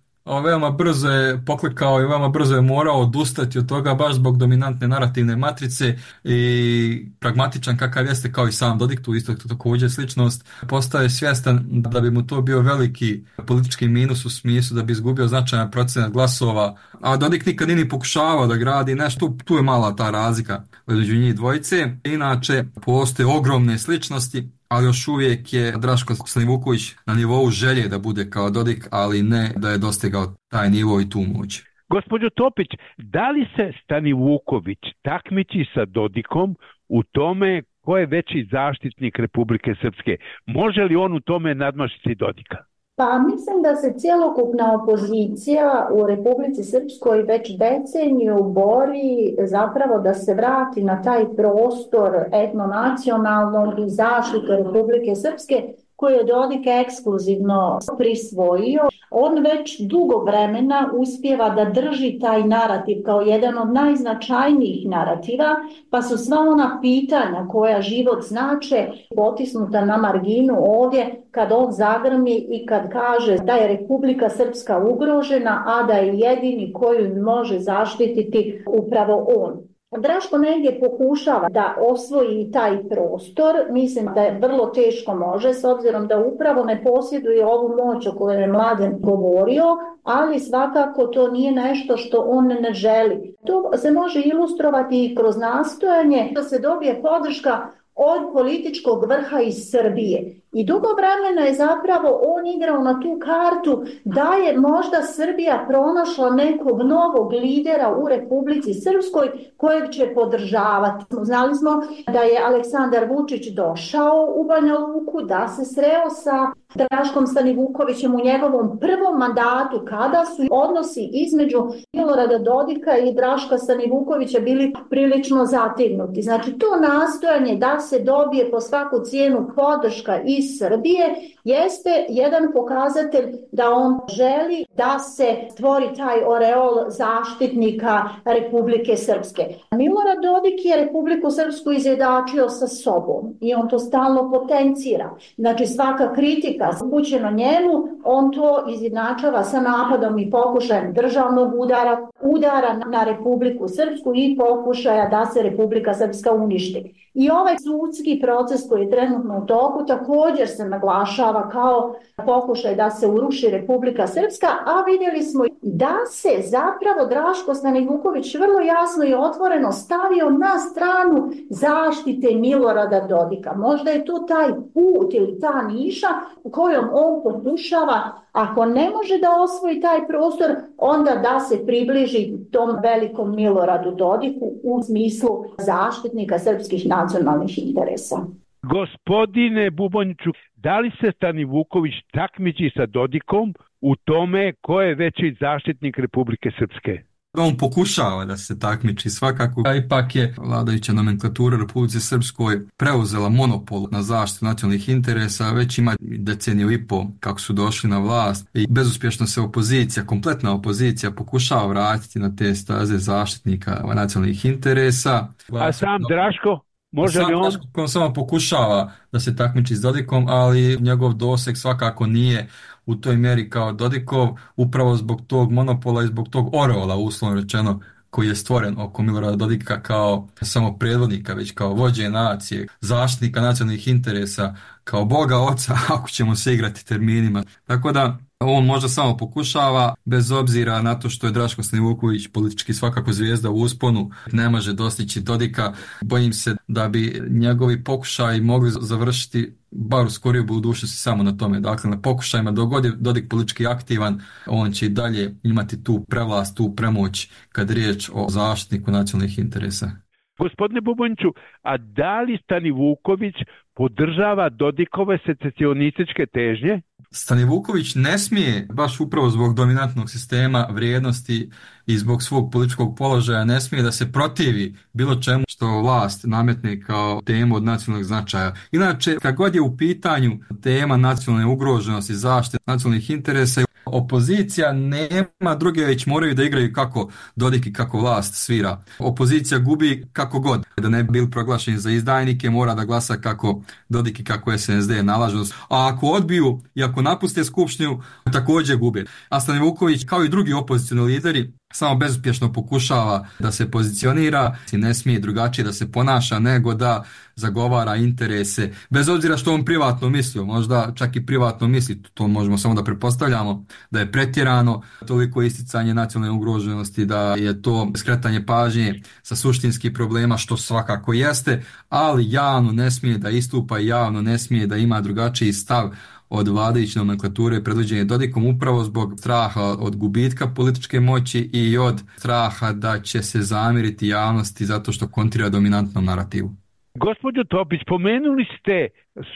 veoma brzo je poklikao i veoma brzo je morao odustati od toga baš zbog dominantne narativne matrice i pragmatičan kakav jeste kao i sam Dodik, tu isto također sličnost, postaje svjestan da bi mu to bio veliki politički minus u smislu da bi izgubio značajan procenat glasova, a Dodik nikad nije pokušavao da gradi nešto, tu, tu je mala ta razlika među njih dvojice. Inače, postoje ogromne sličnosti, ali još uvijek je Draško Stanivuković na nivou želje da bude kao Dodik, ali ne da je dostigao taj nivo i tu moć. Gospođo Topić, da li se Stanivuković takmiči sa Dodikom u tome ko je veći zaštitnik Republike Srpske? Može li on u tome nadmašiti Dodika? Pa mislim da se cjelokupna opozicija u Republici Srpskoj već deceniju bori zapravo da se vrati na taj prostor etnonacionalnog i zaštite Republike Srpske koje je Dodik ekskluzivno prisvojio. On već dugo vremena uspijeva da drži taj narativ kao jedan od najznačajnijih narativa, pa su sva ona pitanja koja život znače potisnuta na marginu ovdje kad on zagrmi i kad kaže da je Republika Srpska ugrožena, a da je jedini koju može zaštititi upravo on. Draško negdje pokušava da osvoji taj prostor, mislim da je vrlo teško može, s obzirom da upravo ne posjeduje ovu moć o kojoj je Mladen govorio, ali svakako to nije nešto što on ne želi. To se može ilustrovati i kroz nastojanje da se dobije podrška od političkog vrha iz Srbije. I dugo vremena je zapravo on igrao na tu kartu da je možda Srbija pronašla nekog novog lidera u Republici Srpskoj kojeg će podržavati. Znali smo da je Aleksandar Vučić došao u Banja Luku, da se sreo sa Draškom Stanivukovićem u njegovom prvom mandatu, kada su odnosi između Milorada Dodika i Draška Stanivukovića bili prilično zategnuti. Znači to nastojanje da se dobije po svaku cijenu podrška iz Srbije jeste jedan pokazatelj da on želi da se stvori taj oreol zaštitnika Republike Srpske. Milorad Dodik je Republiku Srpsku izjednačio sa sobom i on to stalno potencira. Znači svaka kritika upućena njemu, on to izjednačava sa napadom i pokušajem državnog udara, udara na Republiku Srpsku i pokušaja da se Republika Srpska uništi. I ovaj sudski proces koji je trenutno u toku također se naglašava kao pokušaj da se uruši Republika Srpska, a vidjeli smo da se zapravo Draško Stanivuković vrlo jasno i otvoreno stavio na stranu zaštite Milorada Dodika. Možda je to taj put ili ta niša u kojom on pokušava, ako ne može da osvoji taj prostor, onda da se približi tom velikom Miloradu Dodiku u smislu zaštitnika srpskih nacionalnih interesa. Gospodine Buboniću, da li se Stanivuković takmiči sa Dodikom u tome ko je veći zaštitnik Republike Srpske? On pokušava da se takmiči svakako, a ipak je vladajuća nomenklatura Republike Srpskoj preuzela monopol na zaštitu nacionalnih interesa, već ima deceniju i po kako su došli na vlast i bezuspješno se opozicija, kompletna opozicija pokušava vratiti na te staze zaštitnika nacionalnih interesa. A sam Draško? Može li on? On samo pokušava da se takmiči s Dodikom, ali njegov doseg svakako nije u toj mjeri kao Dodikov, upravo zbog tog monopola i zbog tog oreola, uslovno rečeno, koji je stvoren oko Milorada Dodika kao samo predvodnika, već kao vođe nacije, zaštitnika nacionalnih interesa, kao Boga oca, ako ćemo se igrati terminima. Tako da on možda samo pokušava, bez obzira na to što je Draško Stanivuković politički svakako zvijezda u usponu, ne može dostići Dodika. Bojim se da bi njegovi pokušaji mogli završiti bar u skorijoj budućnosti samo na tome. Dakle, na pokušajima dok god je Dodik politički aktivan, on će i dalje imati tu prevlast, tu premoć kad je riječ o zaštitniku nacionalnih interesa. Gospodine Buboniću, a da li Stanivuković podržava Dodikove secesionističke težnje? Stanivuković ne smije, baš upravo zbog dominantnog sistema vrijednosti i zbog svog političkog položaja, ne smije da se protivi bilo čemu što vlast nametne kao temu od nacionalnog značaja. Inače, kad god je u pitanju tema nacionalne ugroženosti, zaštite nacionalnih interesa, opozicija nema druge, već moraju da igraju kako Dodik i kako vlast svira. Opozicija gubi kako god. Da ne bi bili proglašeni za izdajnike, mora da glasa kako Dodik i kako S N S D nalažu. A ako odbiju i ako napuste skupštinu, također gube. A Stanivuković, kao i drugi opozicioni lideri, samo bezuspješno pokušava da se pozicionira i ne smije drugačije da se ponaša nego da zagovara interese, bez obzira što on privatno mislio, možda čak i privatno misli, to možemo samo da pretpostavljamo da je pretjerano toliko isticanje nacionalne ugroženosti, da je to skretanje pažnje sa suštinskih problema, što svakako jeste, ali javno ne smije da istupa i javno ne smije da ima drugačiji stav od vladajuće nomenklature predvođenje Dodikom, upravo zbog straha od gubitka političke moći i od straha da će se zamiriti javnosti zato što kontrira dominantnom narativu. Gospođo Topić, pomenuli ste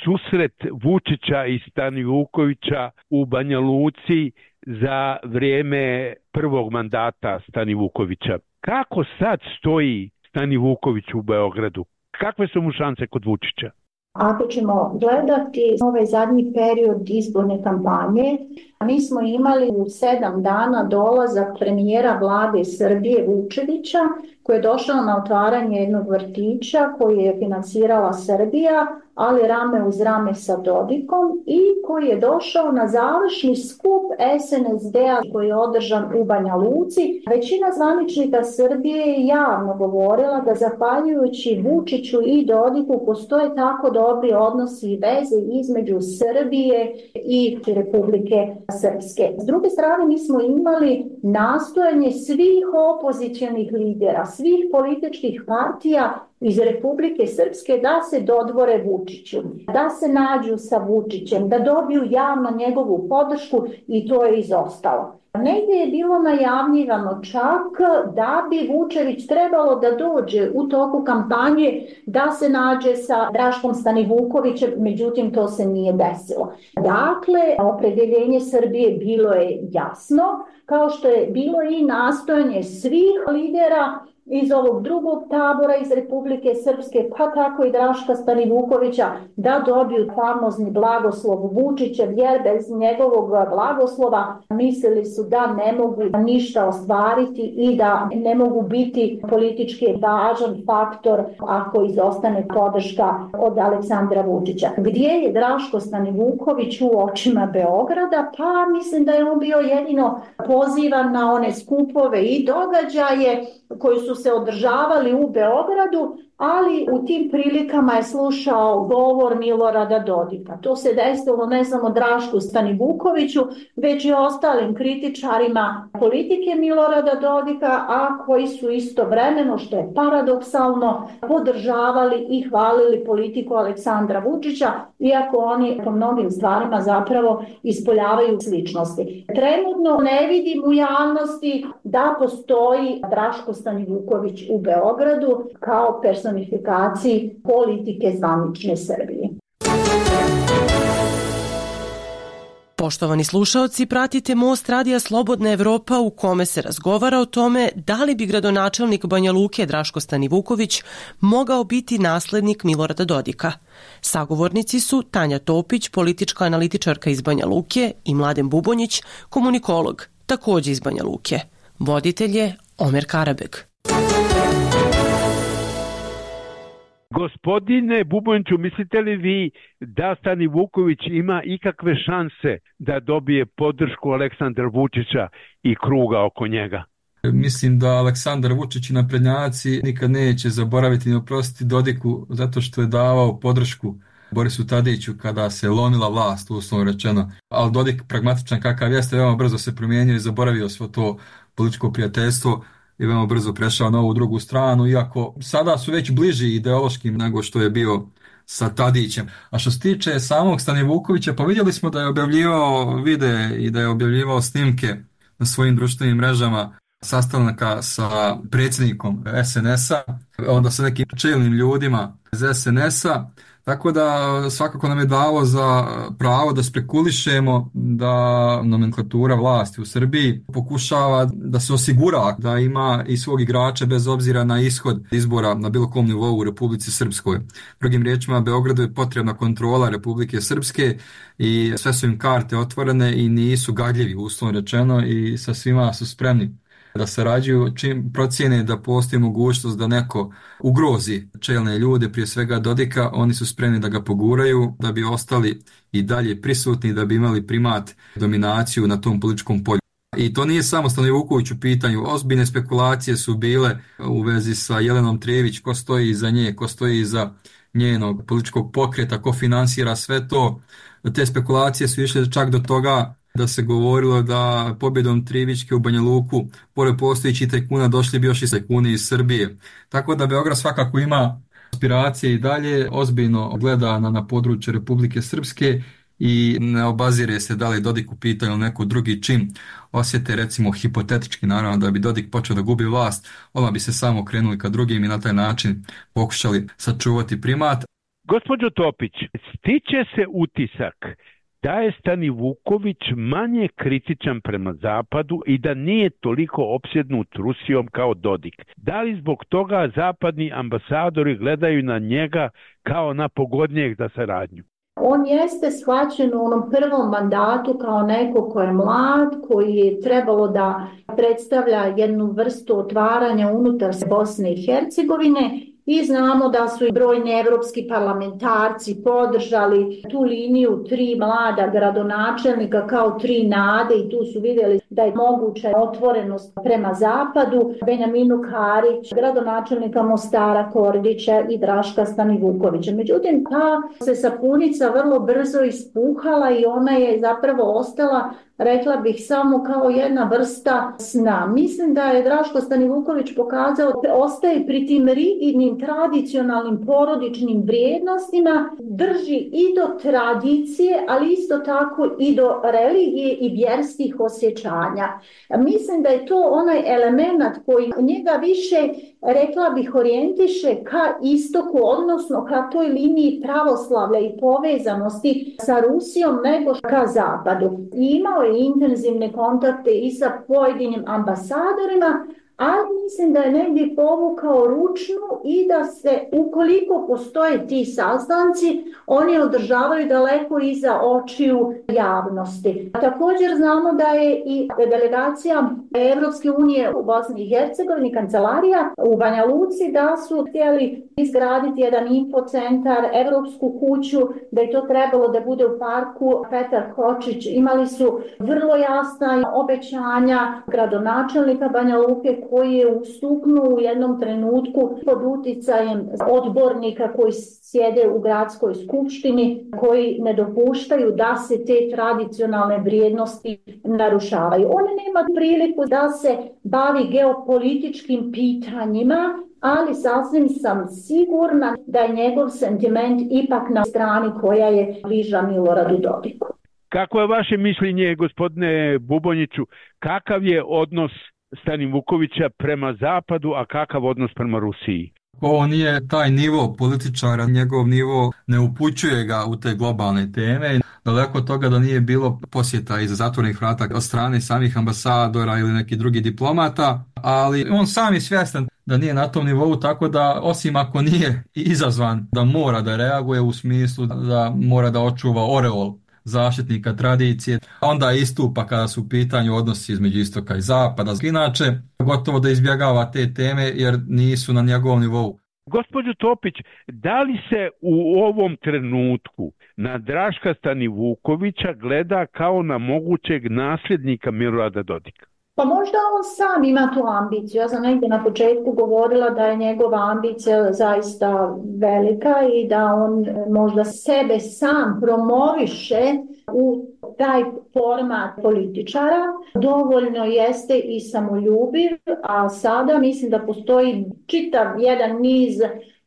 susret Vučića i Stanivukovića u Banja Luci za vrijeme prvog mandata Stanivukovića. Kako sad stoji Stanivuković u Beogradu? Kakve su mu šanse kod Vučića? Ako ćemo gledati ovaj zadnji period izborne kampanje, mi smo imali u sedam dana dolazak premijera vlade Srbije Vučevića, koji je došao na otvaranje jednog vrtića koji je financirala Srbija, ali rame uz rame sa Dodikom, i koji je došao na završni skup S N S D-a koji je održan u Banja Luci. Većina zvaničnika Srbije je javno govorila da zahvaljujući Vučiću i Dodiku postoje tako dobri odnosi i veze između Srbije i Republike Srpske. S druge strane, mi smo imali nastojanje svih opozicionih lidera, svih političkih partija iz Republike Srpske da se dodvore Vučiću, da se nađu sa Vučićem, da dobiju javno njegovu podršku i to je izostalo. Negdje je bilo najavljivano čak da bi Vučević trebalo da dođe u toku kampanje da se nađe sa Draškom Stanivukovićem, međutim to se nije desilo. Dakle, opredjeljenje Srbije bilo je jasno, kao što je bilo i nastojanje svih lidera iz ovog drugog tabora iz Republike Srpske, pa tako i Draška Stanivukovića, da dobiju famozni blagoslov Vučićev, jer bez njegovog blagoslova mislili su da ne mogu ništa ostvariti i da ne mogu biti politički važan faktor ako izostane podrška od Aleksandra Vučića. Gdje je Draško Stanivuković u očima Beograda? Pa mislim da je on bio jedino pozivan na one skupove i događaje koji su se održavali u Beogradu, ali u tim prilikama je slušao govor Milorada Dodika. To se desilo ne samo Drašku Stanivukoviću, već i ostalim kritičarima politike Milorada Dodika, a koji su istovremeno, što je paradoksalno, podržavali i hvalili politiku Aleksandra Vučića, iako oni po mnogim stvarima zapravo ispoljavaju sličnosti. Trenutno ne vidim u javnosti da postoji Draško Stanivuković u Beogradu kao personifikaciji politike zvanične Srbije. Poštovani slušaoci, pratite Most radija Slobodna Evropa u kome se razgovara o tome da li bi gradonačelnik Banja Luke Draško Stanivuković mogao biti naslednik Milorada Dodika. Sagovornici su Tanja Topić, politička analitičarka iz Banja Luke, i Mladen Bubonjić, komunikolog, takođe iz Banja Luke. Voditelj je Omer Karabeg. Gospodine Bubonjiću, mislite li vi da Stanivuković ima ikakve šanse da dobije podršku Aleksandra Vučića i kruga oko njega? Mislim da Aleksandar Vučić i naprednjaci nikad neće zaboraviti ni oprostiti Dodiku zato što je davao podršku Borisu Tadiću kada se lomila vlast, uslovno rečeno. Ali Dodik, pragmatičan kakav jeste, veoma brzo se promijenio i zaboravio svo to političko prijateljstvo i veoma brzo prešao na ovu drugu stranu, iako sada su već bliži ideološkim nego što je bio sa Tadićem. A što se tiče samog Stanivukovića, pa vidjeli smo da je objavljivao videe i da je objavljivao snimke na svojim društvenim mrežama sastanaka sa predsjednikom es en es a, onda sa nekim čelnim ljudima iz es en es a, tako da svakako nam je dalo za pravo da spekulišemo da nomenklatura vlasti u Srbiji pokušava da se osigura da ima i svog igrača bez obzira na ishod izbora na bilo kom nivou u Republici Srpskoj. Drugim riječima, Beogradu je potrebna kontrola Republike Srpske i sve su im karte otvorene i nisu gadljivi, uslovno rečeno, i sa svima su spremni da sarađuju čim procijene da postoji mogućnost da neko ugrozi čelne ljude, prije svega Dodika, oni su spremni da ga poguraju, da bi ostali i dalje prisutni, da bi imali primat, dominaciju na tom političkom polju. I to nije samo Stanivuković u pitanju, ozbiljne spekulacije su bile u vezi sa Jelenom Trević, ko stoji iza nje, ko stoji iza njenog političkog pokreta, ko finansira sve to. Te spekulacije su išle čak do toga da se govorilo da pobjedom Trivićke u Banja Luku, pored postojićih tajkuna, došli bi još i tajkuni iz Srbije. Tako da Beograd svakako ima aspiracije i dalje, ozbiljno gleda na, na područje Republike Srpske i ne obazire se da li Dodik u pitanju ili neko drugi čim osjete, recimo hipotetički naravno, da bi Dodik počeo da gubi vlast, odmah bi se samo krenuli ka drugim i na taj način pokušali sačuvati primat. Gospođo Topić, stiče se utisak da je Stanivuković manje kritičan prema Zapadu i da nije toliko opsjednut Rusijom kao Dodik. Da li zbog toga zapadni ambasadori gledaju na njega kao na pogodnijeg za saradnju? On jeste shvaćen u onom prvom mandatu kao neko ko je mlad, koji je trebalo da predstavlja jednu vrstu otvaranja unutar Bosne i Hercegovine. I znamo da su i brojni evropski parlamentarci podržali tu liniju tri mlada gradonačelnika kao tri nade i tu su vidjeli da je moguća otvorenost prema zapadu. Benjaminu Karić, gradonačelnika Mostara Kordića i Draška Stanivukovića. Međutim, ta se sapunica vrlo brzo ispuhala i ona je zapravo ostala rekla bih samo kao jedna vrsta sna. Mislim da je Draško Stanivuković pokazao da ostaje pri tim rigidnim tradicionalnim porodičnim vrijednostima, drži i do tradicije, ali isto tako i do religije i vjerskih osjećanja. Mislim da je to onaj element koji njega više, rekla bih, orijentiše ka istoku, odnosno ka toj liniji pravoslavlja i povezanosti sa Rusijom nego ka zapadu. I imao je intenzivne kontakte i sa pojedinim ambasadorima, ali mislim da je negdje povukao ručnu i da se, ukoliko postoje ti sastanci, oni održavaju daleko iza očiju javnosti. Također znamo da je i delegacija Evropske unije u Bosni i Hercegovini, kancelarija u Banja Luci, da su htjeli izgraditi jedan infocentar, Evropsku kuću, da je to trebalo da bude u parku Petar Kočić. Imali su vrlo jasna obećanja gradonačelnika Banja Luke, koji je ustuknuo u jednom trenutku pod uticajem odbornika koji sjede u gradskoj skupštini, koji ne dopuštaju da se te tradicionalne vrijednosti narušavaju. On nema priliku da se bavi geopolitičkim pitanjima, ali sasvim sam sigurna da je njegov sentiment ipak na strani koja je bliža Miloradu Dodiku. Kako je vaše mišljenje, gospodine Bubonjiću, kakav je odnos Stanivukovića prema zapadu, a kakav odnos prema Rusiji? Ovo nije taj nivo političara, njegov nivo ne upućuje ga u te globalne teme. Daleko od toga da nije bilo posjeta iza zatvorenih vrata od strane samih ambasadora ili nekih drugih diplomata, ali on sam je svjestan da nije na tom nivou, tako da osim ako nije izazvan da mora da reaguje u smislu da mora da očuva oreol zaštitnika tradicije, onda istupa kada su u pitanju odnosi između istoka i zapada. Inače, gotovo da izbjegava te teme jer nisu na njegovom nivou. Gospođo Topić, da li se u ovom trenutku na Draška Stanivukovića gleda kao na mogućeg nasljednika Milorada Dodika? Pa možda on sam ima tu ambiciju. Ja sam negdje na početku govorila da je njegova ambicija zaista velika i da on možda sebe sam promoviše u taj format političara. Dovoljno jeste i samoljubiv, a sada mislim da postoji čitav jedan niz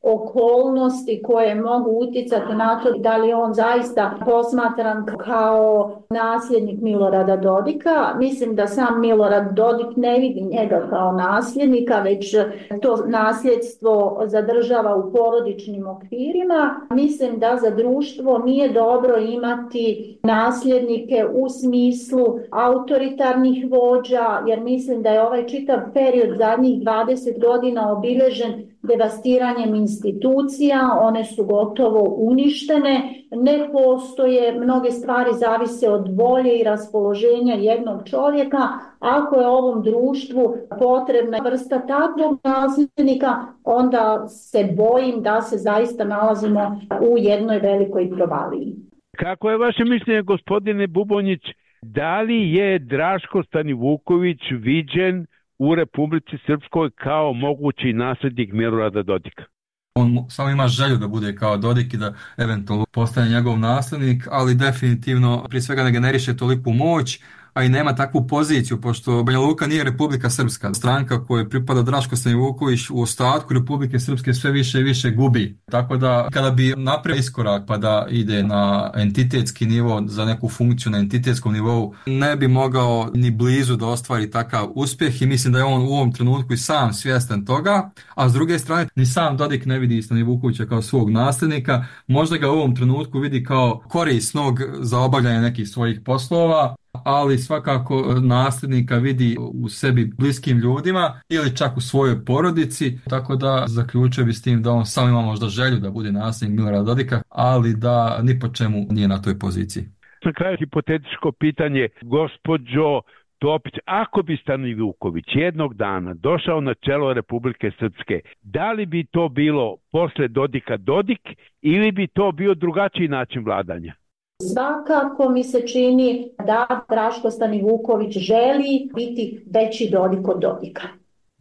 okolnosti koje mogu utjecati na to da li on zaista posmatran kao nasljednik Milorada Dodika. Mislim da sam Milorad Dodik ne vidi njega kao nasljednika, već to nasljedstvo zadržava u porodičnim okvirima. Mislim da za društvo nije dobro imati nasljednike u smislu autoritarnih vođa, jer mislim da je ovaj čitav period zadnjih dvadeset godina obilježen devastiranjem institucija, one su gotovo uništene, ne postoje, mnoge stvari zavise od volje i raspoloženja jednog čovjeka. Ako je ovom društvu potrebna vrsta takvog nasljednika, onda se bojim da se zaista nalazimo u jednoj velikoj provaliji. Kako je vaše mišljenje, gospodine Bubonjić, da li je Draško Stanivuković viđen u Republici Srpskoj kao mogući nasljednik Milorada Dodika? On samo ima želju da bude kao Dodik i da eventualno postane njegov nasljednik, ali definitivno prije svega ne generiše toliku moć, a i nema takvu poziciju, pošto Banja Luka nije Republika Srpska. Stranka kojoj pripada Draško Stanivuković u ostatku Republike Srpske sve više i više gubi. Tako da kada bi napravio iskorak pa da ide na entitetski nivo, za neku funkciju na entitetskom nivou, ne bi mogao ni blizu da ostvari takav uspjeh i mislim da je on u ovom trenutku i sam svjestan toga, a s druge strane ni sam Dodik ne vidi Stanivukovića kao svog nasljednika, možda ga u ovom trenutku vidi kao korisnog za obavljanje nekih svojih poslova, ali svakako nasljednika vidi u sebi bliskim ljudima ili čak u svojoj porodici, tako da zaključio bi s tim da on sam ima možda želju da bude nasljednik Milorada Dodika, ali da ni po čemu nije na toj poziciji. Na kraju hipotetičko pitanje, gospođo Topić, ako bi Stanivuković jednog dana došao na čelo Republike Srpske, da li bi to bilo posle Dodika Dodik ili bi to bio drugačiji način vladanja? Svakako mi se čini da Draško Stanivuković želi biti veći Dodik od Dodika.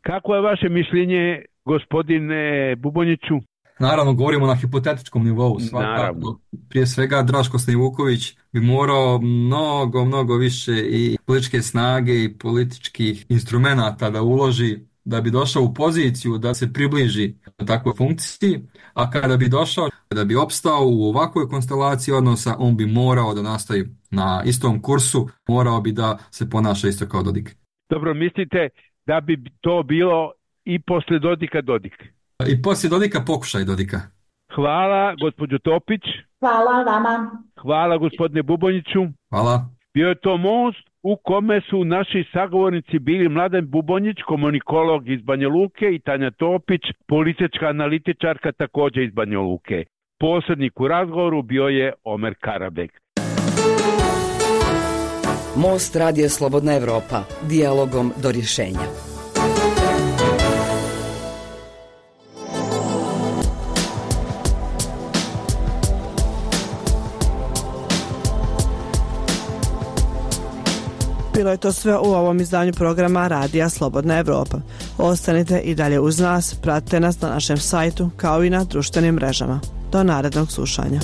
Kako je vaše mišljenje, gospodine Bubonjiću? Naravno, govorimo na hipotetičkom nivou. Svakako, prije svega, Draško Stanivuković bi morao mnogo, mnogo više i političke snage i političkih instrumenata da uloži da bi došao u poziciju da se približi takvoj funkciji, a kada bi došao, da bi opstao u ovakvoj konstelaciji odnosa, on bi morao da nastavi na istom kursu, morao bi da se ponaša isto kao Dodik. Dobro, mislite da bi to bilo i posle Dodika Dodik? I poslije Dodika pokušaj Dodika. Hvala, gospođo Topić. Hvala vama. Hvala, gospodine Bubonjiću. Hvala. Bio je to most u kome su naši sagovornici bili Mladen Bubonjić, komunikolog iz Banja Luke, i Tanja Topić, politička analitičarka također iz Banja Luke. Posrednik u razgovoru bio je Omer Karabek. Most Radio Slobodna Evropa. Dijalogom do rješenja. Bilo je to sve u ovom izdanju programa Radija Slobodna Evropa. Ostanite i dalje uz nas, pratite nas na našem sajtu kao i na društvenim mrežama. Do narednog slušanja.